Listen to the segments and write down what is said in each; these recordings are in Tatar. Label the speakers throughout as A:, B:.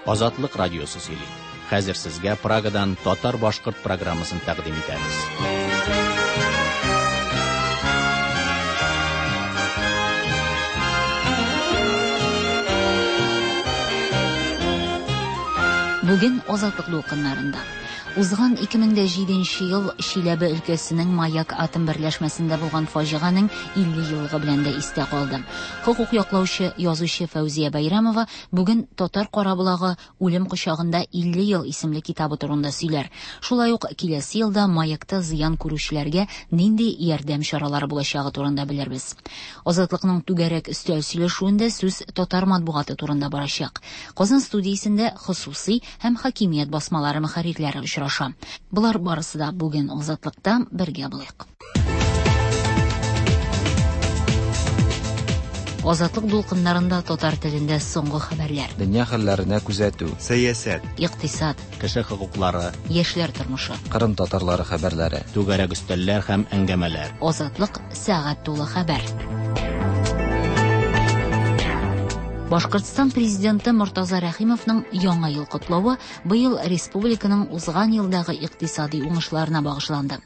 A: Азатлык радиосы сөйли. Хәзер сезгә Прагадан татар-башкорт программасын тәкъдим итәбез.
B: Бүген Азатлык дулкыннарында. Узган 2007 ел Чиләбе өлкәсенең Маяк атом берләшмәсендә булган фаҗиганең 50 еллыгы белән дә истә калды. Хокук яклаучы, язучы Фәүзия Бәйрәмова бүген Татар караболагы Үлем кочагында 50 ел исемле китабы турында сөйләр. Шулай ук киләсе елда Маякта зыян күрүчеләргә нинди ярдәм чаралары булачагы турында белербез. Азатлыкның түгәрәк өстәл сөйләшүендә сүз татар матбугаты турында барачак. Казан студиясендә хосусый һәм хакимият басмалары мөхәррирләре очраша. Болар барысы да бүген Азатлыкта бергә булыйк. Азатлык дулкыннарында татар телендә соңгы хәбәрләр.
C: Дөнья хәлләренә күзәтү.
D: Сәясәт.
B: Икътисад.
A: Кеше хокуклары.
B: Яшьләр тормышы.
C: Кырым татарлары хәбәрләре.
A: Түгәрәк өстәлләр һәм әңгәмәләр.
B: Азатлык сәгать тулы хәбәр. Башкортстан президенты Мортаза Рәхимовның Яңа ел котлавы быел республиканың узган елдагы икътисади уңышларына багышланды.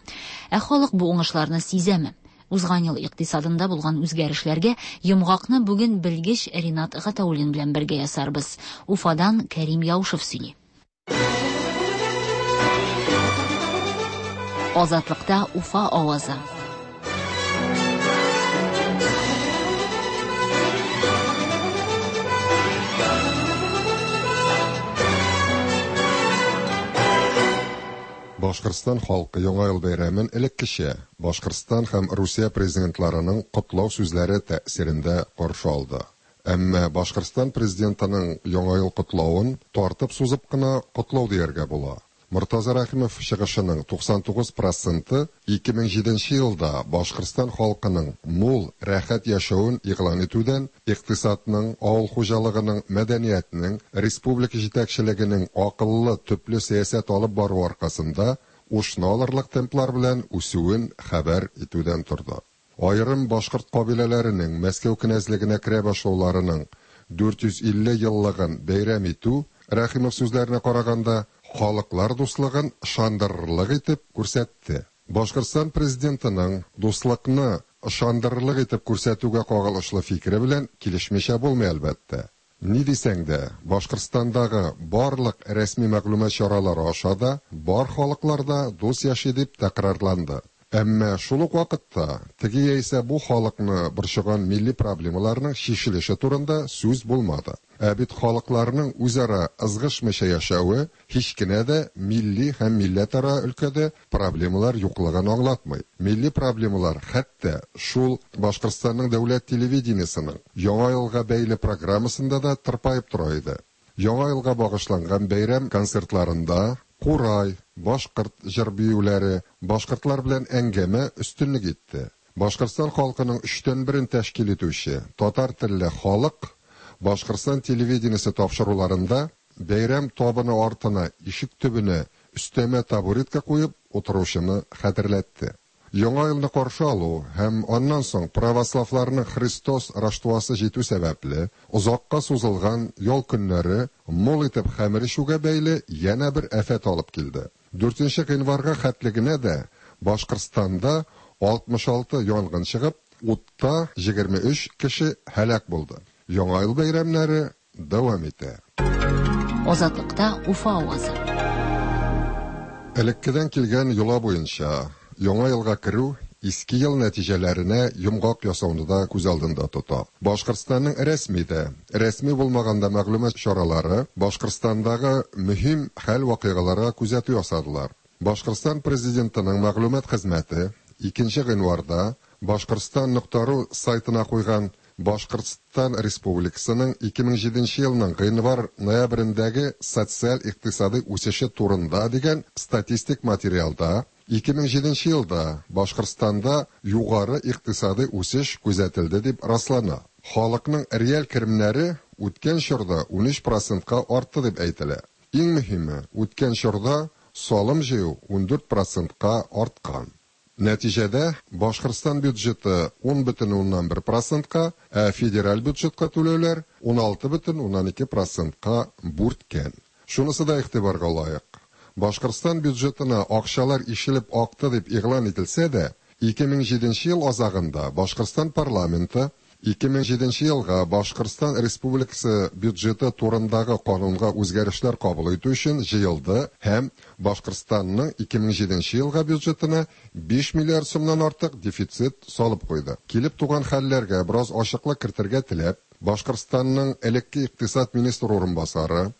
B: Ә халык бу уңышларны сизәме? Узган ел икътисадында булган үзгәрешләргә йомгакны бүген белгеч Ринат Гатауллин белән бергә ясарбыз. Уфадан Кәрим Яушев сөйли. Азатлыкта Уфа авазы.
E: Башкортстан халкы Яңа ел бәйрәмен элеккечә Башкортстан һәм Русия президентларының котлау сүзләре тәэсирендә каршы алды. Әмма Башкортстан президентының Яңа ел котлавын тартып-сузып кына котлау дияргә була. Мортаза Рәхимов чыгышының 99 проценты 2007 елда Башкортстан халкының мул, рәхәт яшәвен игълан итүдән, икътисадның, авыл хуҗалыгының, мәдәниятнең, республика җитәкчелегенең акыллы, төпле сәясәт алып баруы аркасында ушны алырлык темплар белән үсүен хәбәр итүдән торды. Аерым башкорт кабиләләренең Мәскәү кенәзлегенә керә башлауларының 450 еллыгын бәйрәм итү, Рәхимов сүзләренә караганда, халыклар дуслыгын ышандырырлык итеп күрсәтте. Башкортстан президентының дуслыкны ышандырырлык итеп күрсәтүгә кагылышлы фикере белән килешмичә булмый, әлбәттә. Ни дисәң дә, Башкортстандагы барлык рәсми мәгълүмат чаралары аша да бар халыклар да дус яши дип тәкрарланды. Әмма шул ук вакытта теге яисә бу халыкны борчыган милли проблемаларның чишелеше турында сүз булмады. Ә бит халыкларның үзара ызгышмыйча яшәве һич кенә дә милли һәм милләтара өлкәдә проблемалар юклыгын аңлатмый. Милли проблемалар хәтта шул Башкортстанның дәүләт телевидениесенең Яңа елга бәйле программасында да тырпаеп тора иде. Яңа елга багышланган бәйрәм концертларында курай, башкорт җыр-биюләре, башкортлар белән әңгәмә өстенлек итте. Башкортстан халкының өчтән берен тәшкил итүче татар телле халык Башкортстан телевидениесе тапшыруларында бәйрәм табыны артына, ишек төбенә өстәмә табуретка куеп утыручыны хәтерләтте. Яңа елны каршы алу һәм аннан соң православларның Христос Раштуасы җитү сәбәпле озакка сузылган ял көннәре мул итеп хәмер эчүгә бәйле янә бер афәт алып килде. 4 гыйнварга хәтле генә дә Башкортстанда 66 янгын чыгып, утта 23 кеше һәлак булды. Яңа ел бәйрәмнәре дәвам итә.
B: Азатлыкта Уфа авазы.
E: Элеккедән килгән йола буенча, Яңа елга керү иске ел нәтиҗәләренә йомгак ясауны да күз алдында тота. Башкортстанның рәсми дә, рәсми булмаган да мәгълүмат чаралары Башкортстандагы мөһим хәл-вакыйгаларга күзәтү ясадылар. Башкортстан президентының мәгълүмат хезмәте 2 гыйнварда Башкортстан.ру сайтына куйган Башкортстан Республикасының 2007 елның гыйнвар-ноябрендәге социаль-икътисадый үсеше турында дигән статистик материалда 2007 елда Башкортстанда югары икътисадый үсеш күзәтелде дип раслана. Халыкның реаль керемнәре үткән чорда 13 процентка артты дип әйтелә. Иң мөһиме, үткән чорда салым җыю 14 процентка арткан. Нәтиҗәдә, Башкортстан бюджеты 10,1 процентка, ә федераль бюджетка түләүләр 16,2 процентка бүрткән. Шунысы да игътибарга лаек, Башкортстан бюджетына акчалар ишелеп акты дип игълан ителсә дә, 2007 ел азагында Башкортстан парламенты 2007 елга Башкортстан Республикасы бюджеты турындагы канунга үзгәрешләр кабул итү өчен җыелды һәм Башкортстанның 2007 елга бюджетына 5 миллиард сумнан артык дефицит салып куйды. Килеп туган хәлләргә бераз ачыклык кертергә теләп, Башкортстанның элекке икътисад министры урынбасары,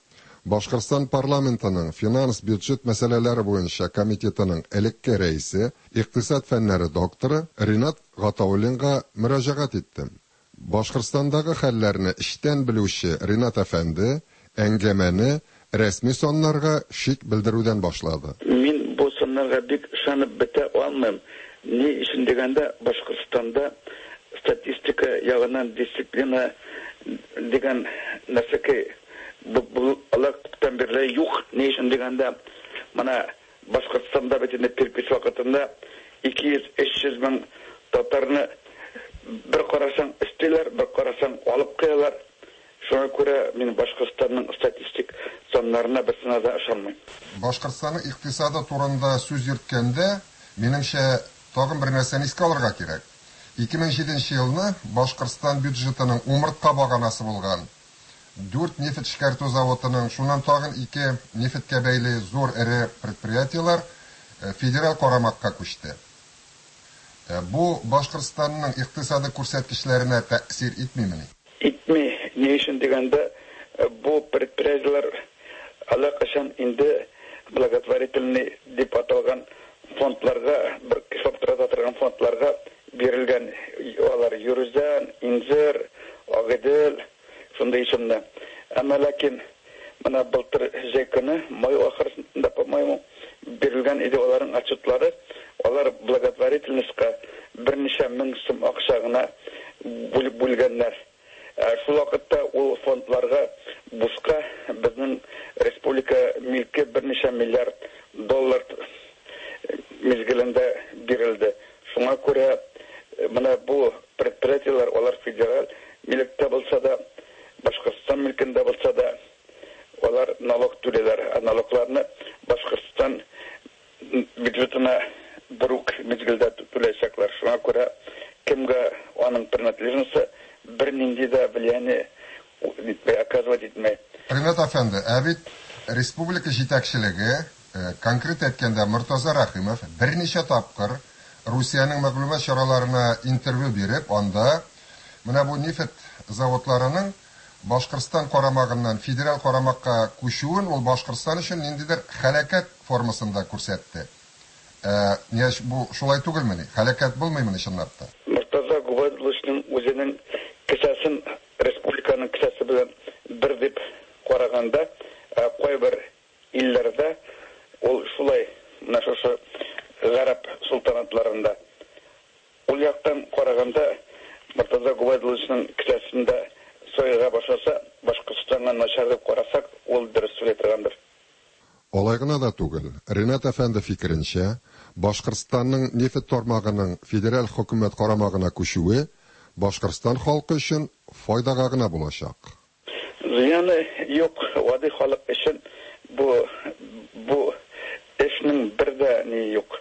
E: Башкортстан парламентының финанс-бюджет мәсьәләләре буенча комитетының элекке рәисе, икътисад фәннәре докторы Ринат Гатауллинга мөрәҗәгать иттем. Башкортстандагы хәлләрне эчтән белүче Ринат әфәнде әңгәмәне рәсми саннарга шик белдерүдән башлады.
D: Мин бу саннарга бик ышанып бетә алмыйм. Ни өчен дигәндә, Башкортстанда статистика ягыннан дисциплина дигән нәрсәкәй алар күптән бирле юк. Ни өчен дигәндә, менә Башкортстанда бит инде перепись вакытында 200-300 мең татарны бер карасаң өстиләр, бер карасаң алып куялар. Шуңа күрә мин Башкортстанның статистик саннарына берсенә дә ышанмыйм.
E: Башкортстанның икътисады турында сүз йөрткәндә, минемчә, тагын бер нәрсәне искә алырга кирәк. 2007 елны Башкортстан бюджетының умыртка баганасы булган 4 нефть эшкәртү заводының, шуннан тагын 2 нефтькә бәйле зур эре предприятиеләр федераль карамакка күчте. Бу Башкортстанның икътисады күрсәткечләренә тәэсир итмимени?
D: Итми. Ни өчен дигәндә, бу предприятиеләр әллә кайчан инде благотворительный дип аталган фондларга, бер кислап тора торган фондларга бирелгән. Алар Юрүзән, Инзер, Агыйдел, шундый исемле. Әмма ләкин менә былтыр җәй көне, май ахырында, по-моему, бирелгән иде аларның отчетлары. Алар благотворительностька берничә мең сум акча гына бүлгәннәр. Шул вакытта ул фондларга бушка безнең республика милке берничә миллиард доллар мизгелендә бирелде. Шуңа күрә менә бу предприятиеләр, алар федераль милектә булса да, Башкортстан милкендә булса да, алар налог түлиләр. Ә налогларны Башкортстан бюджетына бер үк мизгелдә түләячәкләр. Шуңа күрә кемгә аның принадлежности бернинди дә влияние оказывать итмәй.
E: Ринат әфәнде, ә бит республика җитәкчелеге, конкрет әйткәндә Мортаза Рәхимов берничә тапкыр Русиянең мәгълүмат чараларына интервью биреп, анда менә бу нефть заводларының Башкортстан карамагыннан федераль карамакка күчүен ул Башкортстан өчен ниндидер хәрәкәт формасында күрсәтте. Бу шулай түгелмени? Хәрәкәт булмыймыни чынлап та?
D: Мортаза Губайдулловичның үзенең кесәсен республиканың кесәсе белән бер дип караганда, кайбер илләрдә ул шулай, менә шушы гарәп султанатларында. Ул яктан караганда Мортаза Губайдулловичның кесәсендә сояга башласа, Башкортстанга начар дип карасак, ул дөрес сөйли торгандыр.
E: Алай гына да түгел, Ринат әфәнде фикеренчә, Башкортстанның нефть тармагының федераль хөкүмәт карамагына күчүе Башкортстан халкы өчен файдага гына булачак.
D: Зыяны юк, гади халык өчен бу эшнең бер дә ни юк.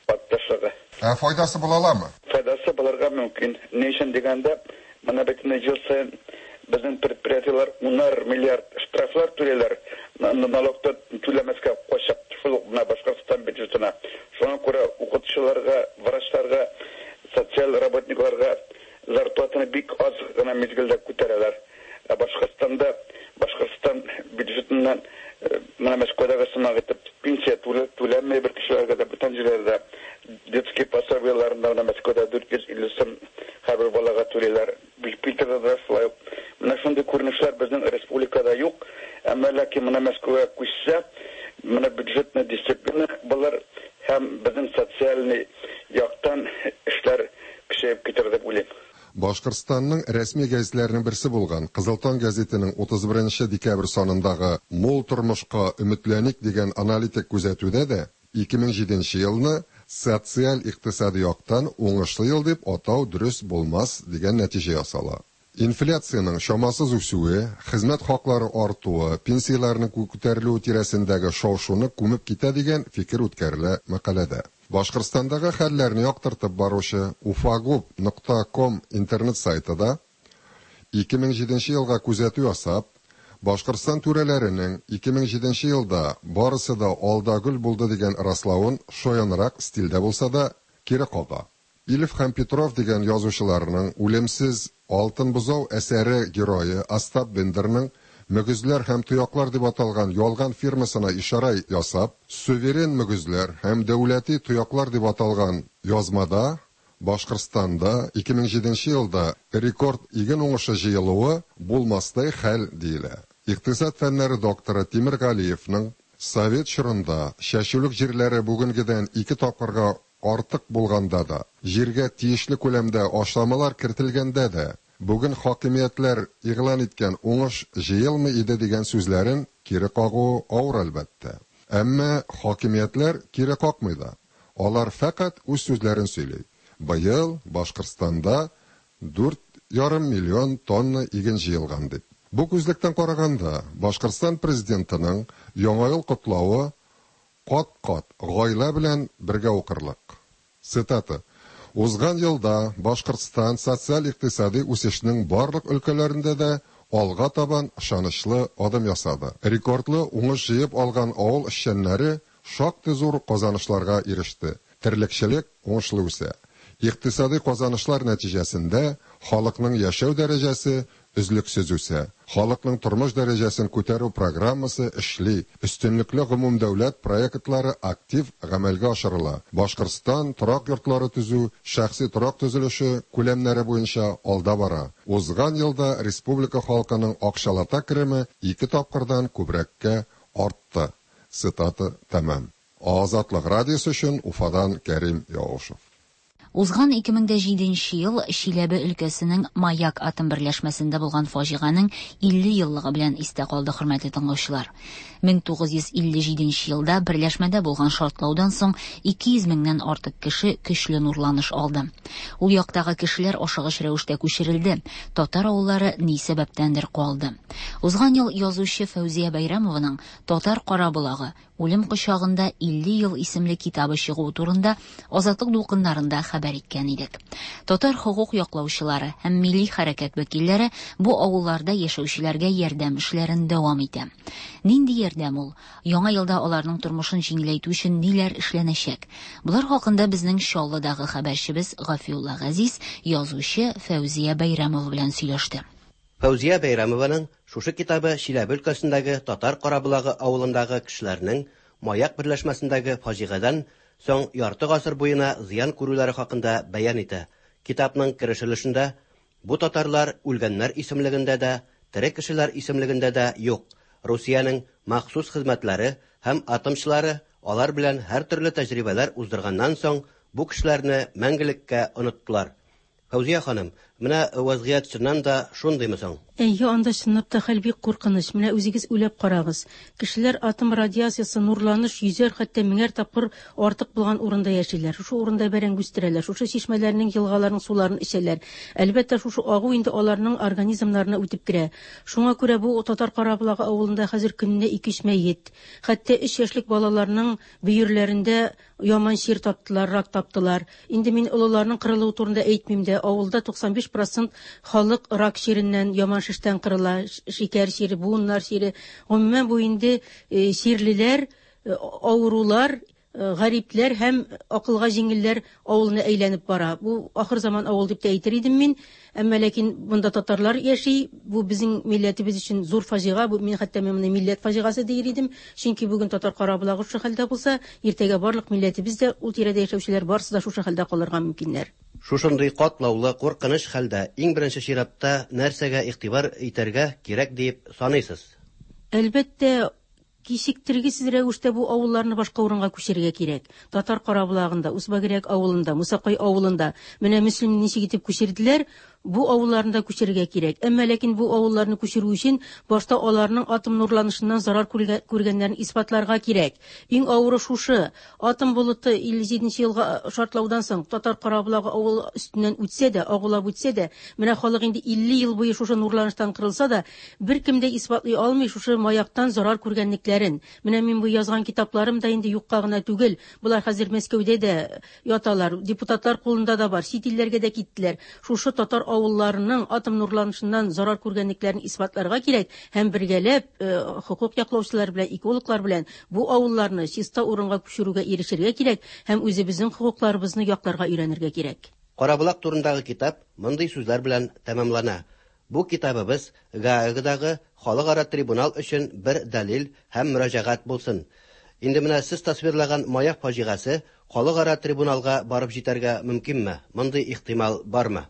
D: Патташлыгы.
E: Ә файдасы була аламы?
D: Файдасы булырга мөмкин. Ни өчен дигәндә, менә бит инде ел саен безнең предприятиеләр унар миллиард штрафлар түлиләр, налогты түләмәскә качып, шул ук менә Башкортстан бюджетына. Шуңа күрә укытучыларга, врачларга, социаль работникларга зарплатаны бик аз гына мизгелдә күтәрәләр. Ә Башкортстанда, Башкортстан бюджетыннан менә Мәскәүдәге сымак итеп пенсия түләнмәй бер кешеләргә дә, бүтән җирләрдә детский пособиеләрендә менә Мәскәүдә 450 сум һәрбер балага түлиләр. Питерда да шулай ук. Менә шундый күренешләр безнең республикада юк. Әмма ләкин менә Мәскәүгә күчсә, менә бюджетный дисциплина булыр һәм безнең социальный яктан эшләр көчәеп китер дип уйлыйм.
E: Башкортстанның рәсми гәзитләренең берсе булган Кызыл таң гәзитенең 31 декабрь санындагы Мул тормышка өметләник дигән аналитик күзәтүдә дә 2007 елны социаль-икътисади яктан уңышлы ел дип атау дөрес булмас дигән нәтиҗә ясала. Инфляциянең чамасыз үсүе, хезмәт хаклары артуы, пенсияләрнең күтәрелүе тирәсендәге шау-шуны күмеп китә дигән фикер үткәрелә мәкаләдә. Башкортстандагы хәлләрне яктыртып баручы Ufagub нокта ком интернет сайты да 2007 елга күзәтү ясап, Башкортстан түрәләренең 2007 елда барысы да ал да гөл булды дигән раславын шаянрак стильдә булса да кире кага. Ильф һәм Петров дигән язучыларның үлемсез Алтын бозау әсәре герое Остап Бендерның Мөгезләр һәм тояклар дип аталган ялган фирмасына ишарә ясап, Суверен мөгезләр һәм дәүләти тояклар дип аталган язмада Башкортстанда 2007 елда рекорд иген уңышы җыелуы булмастай хәл диелә. Икътисад фәннәре докторы Тимер Галиевның совет чорында чәчүлек җирләре бүгенгедән ике тапкырга артык булганда да, җиргә тиешле күләмдә ашламалар кертелгәндә дә, бүген хакимиятләр игълан иткән уңыш җыелмый иде дигән сүзләрен кире кагуы авыр, әлбәттә. Әмма хакимиятләр кире какмый да. Алар фәкать үз сүзләрен сөйли. Быел Башкортстанда 4,5 миллион тонна иген җыелган дип. Бу күзлектән караганда, Башкортстан президентының Яңа ел котлавы кат-кат гаилә белән бергә укырлык. Цитата. Узган елда Башкортстан социаль-икътисади үсешнең барлык өлкәләрендә дә алга табан ышанычлы адым ясады. Рекордлы уңыш җыеп алган авыл эшчәннәре шактый зур казанышларга иреште. Терлекчелек уңышлы үсә. Икътисади казанышлар нәтиҗәсендә халыкның яшәү дәрәҗәсе өзлексез үсә. Халыкның тормыш дәрәҗәсен күтәрү программасы эшли, өстенлекле гомумдәүләт проектлары актив гамәлгә ашырыла. Башкортстан торак йортлары төзү, шәхси торак төзелеше күләмнәре буенча алда бара. Узган елда республика халкының акчалата кереме ике тапкырдан күбрәккә артты. Цитата тәмам. Азатлык радиосы өчен Уфадан Кәрим Яушев.
B: Узган 2007 нче ел Чиләбе өлкәсенең Маяк атом берләшмәсендә булган фаҗиганең 50 еллыгы белән истә калды, хөрмәтле тыңлаучылар. 1957 нче елда берләшмәдә булган шартлаудан соң 200 меңнән артык кеше көчле нурланыш алды. Ул яктагы кешеләр ашыгыч рәвештә күчерелде, татар авыллары ни сәбәптәндер калды. Узган ел язучы Фәүзия Бәйрәмованың Татар Караболагы, Үлем кочагында 50 ел исемле китабы чыгуы турында Азатлык дулкыннарында хәбәр иткән идек. Татар хокук яклаучылары һәм милли хәрәкәт вәкилләре бу авылларда яшәүчеләргә ярдәм эшләрен дәвам итә. Нинди ярдәм ул? Яңа елда аларның тормышын җиңеләйтү өчен ниләр эшләнәчәк? Болар хакында безнең Чаллыдагы хәбәрчебез Гафиулла Газиз язучы Фәүзия Бәйрәмова белән сөйләште.
F: Фәүзия Бәйрәмованың шушы китабы Чиләбе өлкәсендәге Татар Караболагы авылындагы кешеләрнең Маяк берләшмәсендәге фаҗигадән соң ярты гасыр буена зыян күрүләре хакында бәян итә. Китапның кереш өлешендә бу татарлар үлгәннәр исемлегендә дә, тере кешеләр исемлегендә дә юк. Русиянең махсус хезмәтләре һәм атомчылары алар белән һәртөрле тәҗрибәләр уздырганнан соң бу кешеләрне мәңгелеккә оныттылар. Фәүзия ханым, менә вазгыять чыннан да шундыймы соң?
G: Әйе, анда чынлап та хәл бик куркыныч. Менә үзегез уйлап карагыз. Кешеләр атом радиациясе, нурланыш йөзәр, хәтта меңәр тапкыр артык булган урында яшиләр. Шушы урында бәрәңге үстерәләр, шушы чишмәләрнең, елгаларның суларын эчәләр. Әлбәттә, шушы агу инде аларның организмнарына үтеп керә. Шуңа күрә бу Татар Караболагы авылында хәзер көненә ике-өч мәет. Хәтта өч яшьлек балаларның бөерләрендә яман чир таптылар, рак таптылар. Инде мин олыларның кырылуы турында әйтмим дә. Авылда 95 процент халык рак чиреннән, яман шештән кырыла, шикәр чире, буыннар чире. Гомумән бу инде чирлеләр, авырулар, гарипләр һәм акылга җиңелләр авылына әйләнеп бара. Бу ахыр заман авыл дип тә әйтер идем мин. Әмма ләкин монда татарлар яши. Бу безнең милләтебез өчен зур фаҗига. Бу мин хәтта мин моны милләт фаҗигасы дияр идем. Чөнки бүген Татар Караболагы шушы хәлдә булса, иртәгә барлык милләтебез дә, ул тирәдә яшәүчеләр барысы да шушы хәлдә калырга мөмкиннәр.
F: Шушындый катлаулы, куркыныч хәлдә иң беренче чиратта нәрсәгә игътибар итәргә кирәк диеп саныйсыз?
G: Әлбәттә, кичектергесез рәвештә бу авылларны башка урынга күчерергә кирәк. Татар Караболагында, Усбагирәк авылында, Мусакай авылында. Менә Мөслимне ничек итеп күчерделәр, Бу авылларны да күчерергә кирәк. Әмма ләкин бу авылларны күчерү өчен башта аларның атом нурланышыннан зарар күргәннәрен исбатларга кирәк. Иң авыры шушы. Атом болыты 57 елга шартлаудан соң Татар Караболагы авыл өстеннән үтсә дә, агулап үтсә дә, менә халык инде 50 ел буе шушы нурланыштан кырылса да, беркем дә исбатлый алмый шушы маяктан зарар күргәнлекләрен. Менә мин бу язган китапларым да инде юкка гына түгел. Болар хәзер Мәскәүдә дә яталар, депутатлар кулында да бар, чит илләргә дә киттеләр. Шушы татар авылларының атом нурланышыннан зарар күргәнлекләрен исбатларга кирәк һәм бергәләп хокук яклаучылар белән, экологлар белән бу авылларны чиста урынга күчерүгә ирешергә кирәк һәм үзебезнең хокукларыбызны якларга өйрәнергә кирәк.
F: Караболак турындагы китап мондый сүзләр белән тәмамлана. Бу китабыбыз Гаагадагы халыкара трибунал өчен бер дәлил һәм мөрәҗәгать булсын. Инде менә сез тасвирлаган маяк фаҗигасе халыкара трибуналга барып җитәргә мөмкинме? Мондый ихтимал бармы?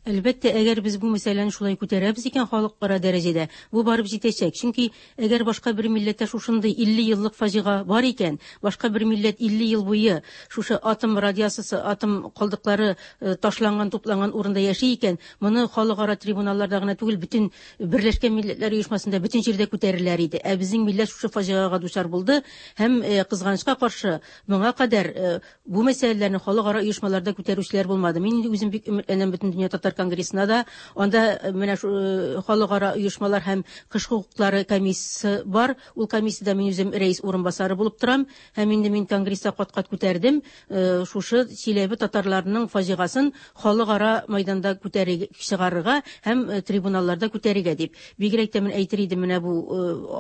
G: Әлбәттә, әгәр без бу мәсьәләне шулай күтәрәбез икән халыкара дәрәҗәдә, бу барып җитәчәк. Чөнки әгәр башка бер милләттә шушындый 50 еллык фаҗига бар икән, башка бер милләт 50 ел буе шушы атом радиациясе, атом калдыклары ташланган, тупланган урында яши икән, моны халыкара трибуналларда гына түгел, бөтен Берләшкән Милләтләр Оешмасында бөтен җирдә күтәреләр иде. Ә безнең милләт шушы фаҗигага дучар булды һәм кызганычка каршы моңа кадәр бу мәсьәләләрне халыкара оешмаларда күтәрүчеләр булмады. Мин инде үзем бик өметләнәм Бөтендөнья татар конгрессына да. Анда менә халыкара оешмалар һәм кеше хокуклары комиссиясе бар. Ул комиссиядә мин үзем рәис урынбасары булып торам. Һәм инде мин конгресста кат-кат күтәрдем шушы Чиләбе татарларының фаҗигасын халыкара майданда күтәрергә чыгарырга һәм трибуналларда күтәрергә дип. Бигрәк тә мин әйтер идем, менә бу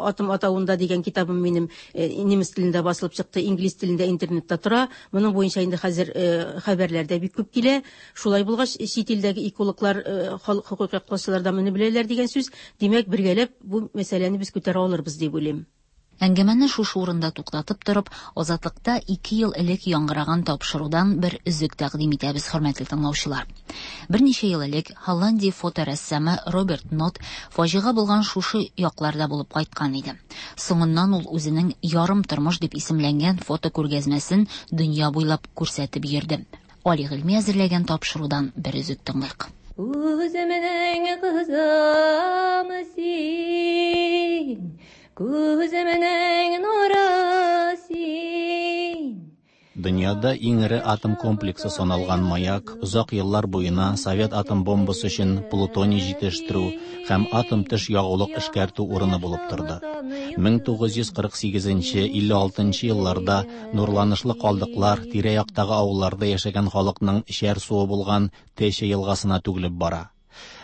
G: Атом атавында дигән китабым минем немец телендә басылып чыкты, инглиз телендә интернетта тора. Моның буенча инде хәзер хәбәрләр дә бик күп килә. Шулай булгач, чит илдәге экологлар, халык хокук яклаучылар да моны беләләр дигән сүз. Димәк, бергәләп бу мәсьәләне без күтәрә алырбыз дип уйлыйм.
B: Әңгәмәне шушы урында туктатып торып, Азатлыкта 2 ел элек яңгыраган тапшырудан бер өзек тәкъдим итәбез, хөрмәтле тыңлаучылар. Берничә ел элек Һолландия фоторәссамы Роберт Нот фаҗига булган шушы якларда булып кайткан иде. Соңыннан ул үзенең Ярым тормыш дип исемләнгән фотокүргәзмәсен дөнья буйлап күрсәтеп йөрде. Али Гыйльми әзерләгән тапшырудан бер өзек тыңлыйк.
H: Үземнең кызым син, күземнең нуры син.
A: Дөньяда иң эре атом комплексы саналган маяк озак еллар буена совет атом бомбасы өчен плутоний җитештерү һәм атом төш ягулык эшкәртү урыны булып торды. 1948-56 елларда нурланышлы калдыклар тирә-яктагы авылларда яшәгән халыкның эчәр суы булган Тече елгасына түгелеп бара.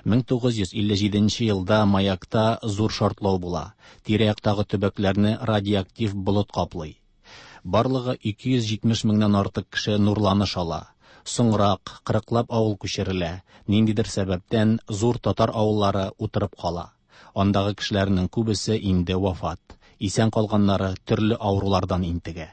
A: 1957 елда маякта зур шартлау була. Тирә-яктагы төбәкләрне радиоактив болыт каплый. Барлыгы 270 меңнән артык кеше нурланыш ала. Соңрак 40лап авыл күчерелә. Ниндидер сәбәптән зур татар авыллары утырып кала. Андагы кешеләрнең күбесе инде вафат. Исән калганнары төрле авырулардан интегә.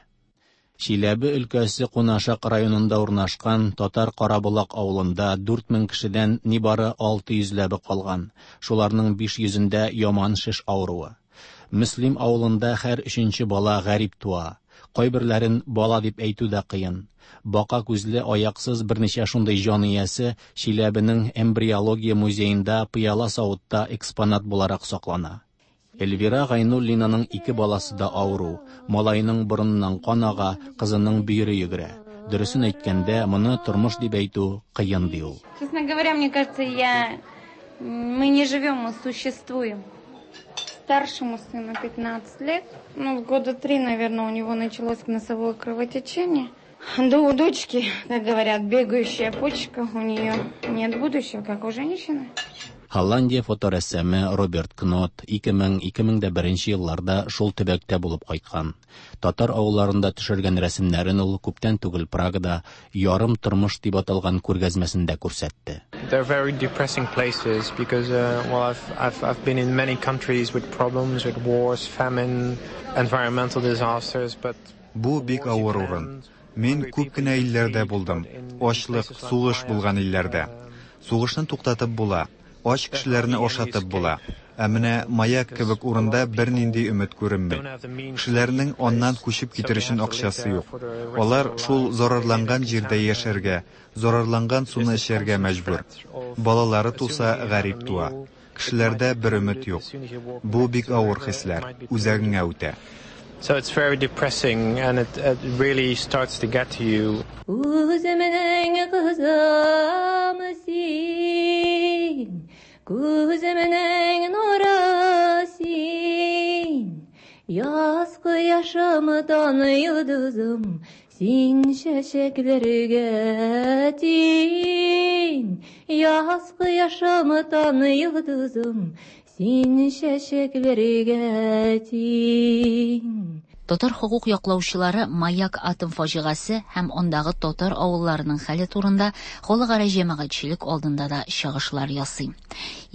A: Чиләбе өлкәсе Кунашак районында урнашкан Татар Караболак авылында 4000 кешедән нибары 600 ләбе калган. Шуларның 500-ндә яман шеш авыруы. Мөслим авылында һәр өченче бала гарип туа. Кайберләрен бала дип әйтү дә кыен. Бака күзле, аяксыз берничә шундый җан иясе Чиләбенең эмбриология музеенда пыяла савытта экспонат буларак саклана. Эльвира Гайнуллинаның 2 баласы да авыру. Малайның борыныннан кан ага, кызының бөере йөгерә. Дөресен әйткәндә, моны тормыш дип әйтү кыен ди ул.
I: Честно говоря, мне кажется, мы не живем, мы существуем. Старшему сыну 15 лет, года 3, наверное, у него началось носовое кровотечение. Да у дочки, как говорят, бегающая почка, у нее нет будущего, как у женщины.
A: Һолландия фоторәссамы Роберт Кнот 2000-2001 елларда шул төбәктә булып кайткан. Татар авылларында төшергән рәсемнәрен ул күптән түгел Прагада Ярым тормыш дип аталган күргәзмәсендә күрсәтте.
J: They're very depressing places because I've been in many countries with problems, with wars, famine, environmental disasters, but
K: Бу бик авыр урын. Мин күп кенә илләрдә булдым. Ачлык, сугыш булган илләрдә. Сугышны туктатып була. Ач кешеләрне ашатып була. Ә менә Маяк кебек урында бернинди өмет күренми. Кешеләрнең аннан күчеп китер өчен акчасы юк. Алар шул зарарланган җирдә яшәргә, зарарланган суны эчәргә мәҗбүр. Балалары туса, гарип туа. Кешеләрдә бер өмет юк. Бу бик авыр хисләр, үзәгеңә үтә.
J: So it's very depressing and it really starts to get to you.
H: Үземнең кызым син, күземнең нуры син. Яз кояшымдан йолдызым, син чәчәкләргә тиң. Яз кояшымдан йолдызым, син чәчәкләргә тиң.
B: Татар хокук яклаучылары Маяк атом фаҗигасе һәм андагы татар авылларының хәле турында халыкара җәмәгатьчелек алдында да чыгышлар ясый.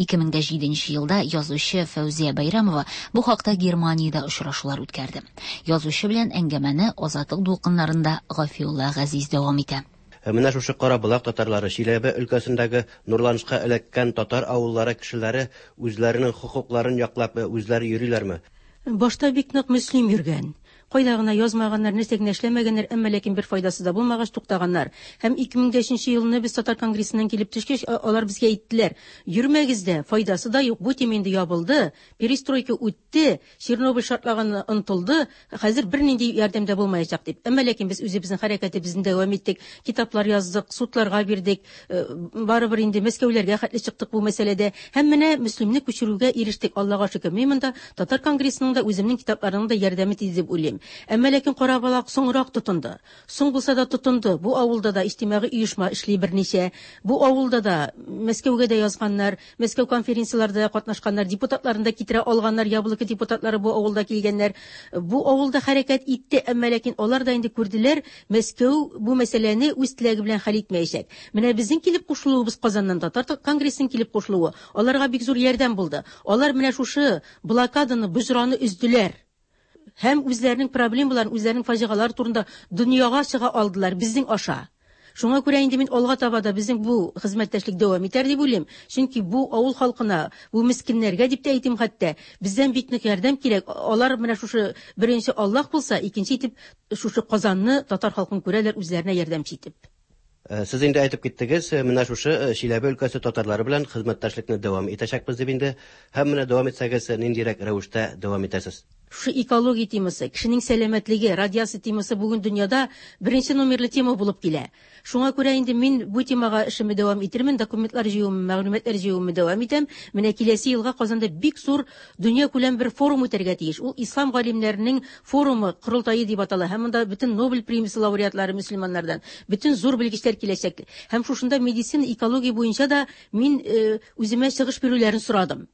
B: 2007 елда язучы Фәүзия Бәйрәмова бу хакта Германиядә очрашулар үткәрде. Язучы белән әңгәмәне Азатлык дулкыннарында Гафиулла Газиз дәвам итә.
F: Менә шушы Караболак татарлары, Чиләбе өлкәсендәге нурланышка эләккән татар авыллары кешеләре үзләренең хокукларын яклап үзләре йөриләрме?
G: Башта бик нык Мөслим йөргән. Кайда гына язмаганнар, нәрсә генә эшләмәгәннәр, әмма ләкин бер файдасы да булмагач туктаганнар. Һәм 2003 елны без Татар конгрессыннан килеп төшкәч, алар безгә әйттеләр: "Йөрмәгез дә, файдасы да юк, бу тема инде ябылды, перестройка үтте, Чернобыль шартлаганы онытылды, хәзер бернинди ярдәм дә булмаячак" дип. Әмма ләкин без үзебезнең хәрәкәтебезне дәвам иттек, китаплар яздык, судларга бирдек, барыбер инде Мәскәүләргә хәтле чыктык бу мәсьәләдә. Һәм менә Мөслимне күчерүгә ирештек, Аллага шөкер. Мин монда Татар конгрессының да, үземнең китапларының да ярдәме тиде дип уйлыйм. Әмма ләкин Караболак соңрак тотынды. Соң булса да тотынды. Бу авылда да иҗтимагый оешма эшли берничә. Бу авылда да Мәскәүгә дә язганнар, Мәскәү конференцияләрдә катнашканнар, депутатларын да китерә алганнар, Яблоко депутатлары бу авылда килгәннәр. Бу авылда хәрәкәт итте, әмма ләкин алар да инде күрделәр, Мәскәү бу мәсьәләне үз теләге белән хәл итмәячәк. Менә безнең килеп кушылуыбыз Казаннан Татар конгрессының килеп кушылуы аларга бик зур ярдәм булды. Алар менә шушы блокаданы, боҗраны өзделәр. Һәм үзләренең проблемаларын, үзләренең фаҗигалары турында дөньяга чыга алдылар безнең аша. Шуңа күрә инде мин алга таба да безнең бу хезмәттәшлек дәвам итәр дип уйлыйм. Чөнки бу авыл халкына, бу мескеннәргә дип тә әйтим хәтта, бездән бик нык ярдәм кирәк. Алар менә шушы беренче Аллаһ булса, икенче итеп шушы Казанны татар халкын күрәләр үзләренә ярдәмче итеп.
F: Сез инде әйтеп киттегез, менә шушы Чиләбе өлкәсе татарлары белән хезмәттәшлекне дәвам итәчәкбез дип инде. Һәм менә дәвам итсәгез, ниндирәк рәвештә дәвам итәсез?
G: Шушы экология темасы, кешенең сәламәтлеге, радиация темасы бүген дөньяда беренче номерлы тема булып килә. Шуңа күрә инде мин бу темага эшемне дәвам итермен, документлар җыюымны, мәгълүматлар җыюымны дәвам итәм. Менә киләсе елга Казанда бик зур дөнья күләм бер форум үтәргә тиеш. Ул ислам галимнәренең форумы, корылтае дип атала. Һәм монда бөтен Нобель премиясе лауреатлары мөселманнардан, бөтен зур белгечләр киләчәк. Һәм шушында медицина, экология буенча да мин үземә чыгыш бирүләрен сорадым.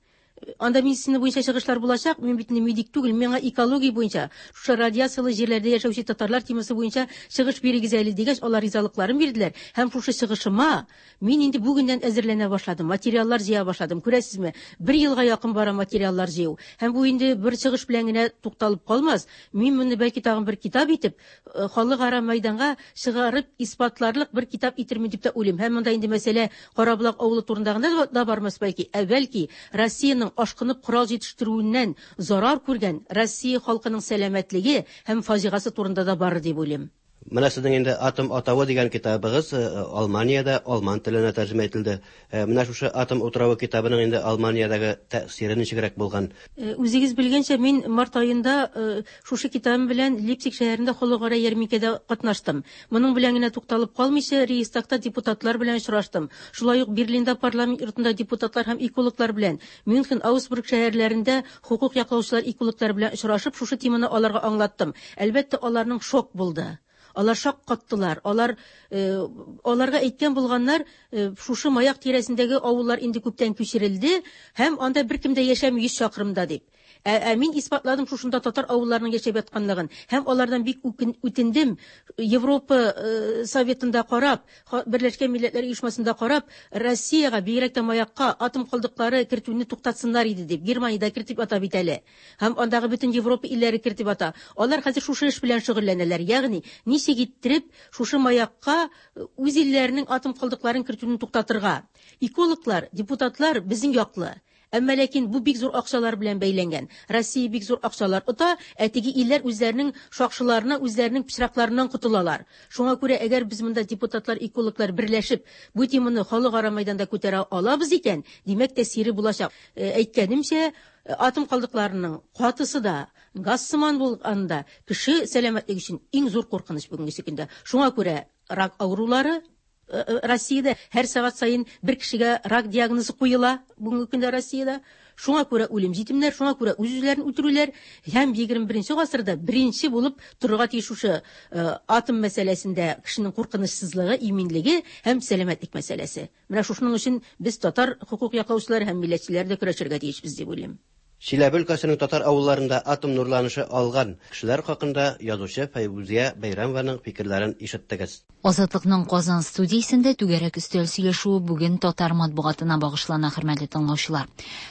G: Анда медицина буенча чыгышлар булачак, мин бит инде медик түгел, миңа экология буенча, шушы радиациялы җирләрдә яшәүче татарлар темасы буенча чыгыш бирегез әле дигәч, алар ризалыкларын бирделәр. Һәм шушы чыгышыма мин инде бүгеннән әзерләнә башладым, материаллар җыя башладым. Күрәсезме, бер елга якын бара материаллар җыю. Һәм бу инде бер чыгыш белән генә тукталып калмас. Мин моны бәлки тагын бер китап итеп, халыкара мәйданга чыгарып исбатларлык бер китап итермен дип тә уйлыйм. Һәм монда инде мәсьәлә Караболак авылы турында гына да бармас бәлки, ә бәлки Россиянең ашкынып корал җитештерүеннән зарар күргән Россия халкының сәламәтлеге һәм фаҗигасы турында да барыр дип уйлыйм.
F: Менә сезнең инде Атом атавы дигән китабыгыз Алманиядә алман теленә тәрҗемә ителде. Менә шушы Атом утравы китабының инде Алманиядәге тәэсире ничегрәк булган?
G: Үзегез белгәнчә, мин март аенда шушы китабым белән Лейпциг шәһәрендә халыкара ярминкәдә катнаштым. Моның белән генә тукталып калмыйча, Рейхстагта депутатлар белән очраштым. Шулай ук Берлинда парламент йортында депутатлар һәм экологлар белән, Мюнхен, Аугсбург шәһәрләрендә хокук яклаучылар экологлар белән очрашып, шушы теманы аларга аңлаттым. Әлбәттә, аларның шок булды. Алар шаккаттылар. Алар аларга әйткән булганнар, шушы маяк тирәсендәге авыллар инде күптән күчерелде һәм анда беркем дә яшәми 100 чакрымда дип. Ә, ә мин исбатладым шушында татар авылларының яшәп ятканлыгын һәм алардан бик үтендем Европа э, Советында карап, Берләшкән Милләтләр Оешмасында карап, Россиягә, бигрәк тә Маякка атом калдыклары кертүне туктатсыннар иде дип. Германиядә кертеп ята бит әле. Һәм андагы бөтен Европа илләре кертеп ята. Алар хәзер шушы эш белән шөгыльләнәләр. Ягъни, ничек иттереп шушы Маякка э, үз илләренең атом калдыкларын кертүне туктатырга. Экологлар, депутатлар безнең яклы. Әмма ләкин бу бик зур акчалар белән бәйләнгән. Россия бик зур акчалар ота, ә теге илләр үзләренең шакшыларына, үзләренең пычракларыннан котылалар. Шуңа күрә, әгәр без монда депутатлар, экологлар берләшеп, бу теманы халыкара мәйданда күтәрә алабыз икән, димәк, тәэсире булачак. Э, әйткәнемчә, э, атом калдыкларының катысы да, газ сыман булганы да кеше сәламәтлеге өчен иң зур куркыныч бүгенге көндә. Шуңа күрә рак авырулары Э, э, Россиядә һәр сәгать саен бер кешегә рак диагнозы куела бүгенге көндә Россиядә. Шуңа күрә үлем җитемнәр, шуңа күрә үз-үзләрен үтерүләр һәм 21 гасырда беренче булып торырга тиеш шушы э, атом мәсьәләсендә кешенең куркынычсызлыгы, иминлеге һәм сәламәтлек мәсьәләсе. Менә шушының өчен без татар хокук яклаучылары һәм милләтчеләр дә көрәшергә тиешбез дип уйлыйм.
F: Чиләбе өлкәсенең татар авылларында атом нурланышы алган кешеләр хакында язучы Фәйрүзия Бәйрәмованың фикерләрен ишеттегез.
B: Азатлыкның Казан студиясендә түгәрәк өстәл сөйләшүе бүген татар матбугатына багышлана, хөрмәтле тыңлаучылар.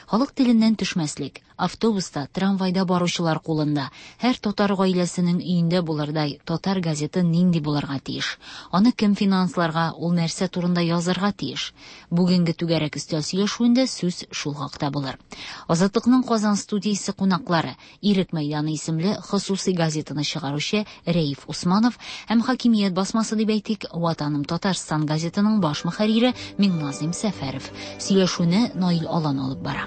B: Халык теленнән төшмәслек, автобуста, трамвайда баручылар кулында, һәр татар гаиләсенең өендә булырдай татар газеты нинди булырга тиеш? Аны кем финансларга, ул нәрсә турында язарга тиеш? Бүгенге түгәрәк өстәл сөйләшүендә сүз шул хакта булыр. Азатлыкның Казан студиясе кунаклары Ирек мәйданы исемле хосусый газетаны чыгаручы Рәиф Усманов һәм хакимият басмасы дип әйтик, Ватаным Татарстан газетының баш мөхәррире Миңназыйм Сәфәров. Сөйләшүне Наил Алан алып бара.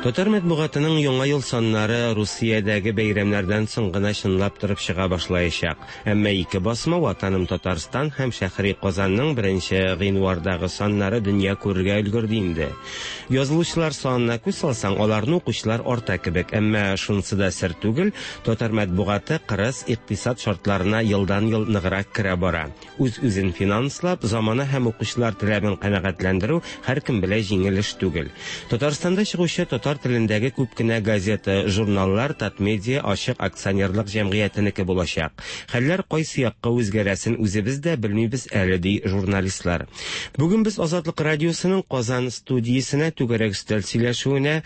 L: Татар матбугатының яңа ел саннары Русиядәге бәйрәмнәрдән соң гына чынлап торып чыга башлаячак. Әмма ике басма Ватаным Татарстан һәм Шәһри Казанның 1 гыйнвардагы саннары дөнья күрергә өлгерде инде. Язылучылар санына күз салсаң, аларны укучылар арта кебек. Әмма шунысы да сер түгел, татар матбугаты кырыс икътисад шартларына елдан-ел ныграк керә бара. Үз-үзен финанслап, замана һәм укучылар таләбен канәгатьләндерү һәркем белән җиңел эш түгел. Татарстанда чыгучы татар телендәге күп кенә газета, журналлар Татмедиа ачык акционерлык җәмгыятенеке булачак. Хәлләр кайсы якка үзгәрәсен үзебез дә белмибез әле, ди журналистлар. Бүген без Азатлык радиосының Казан студиясенә түгәрәк өстәл сөйләшүенә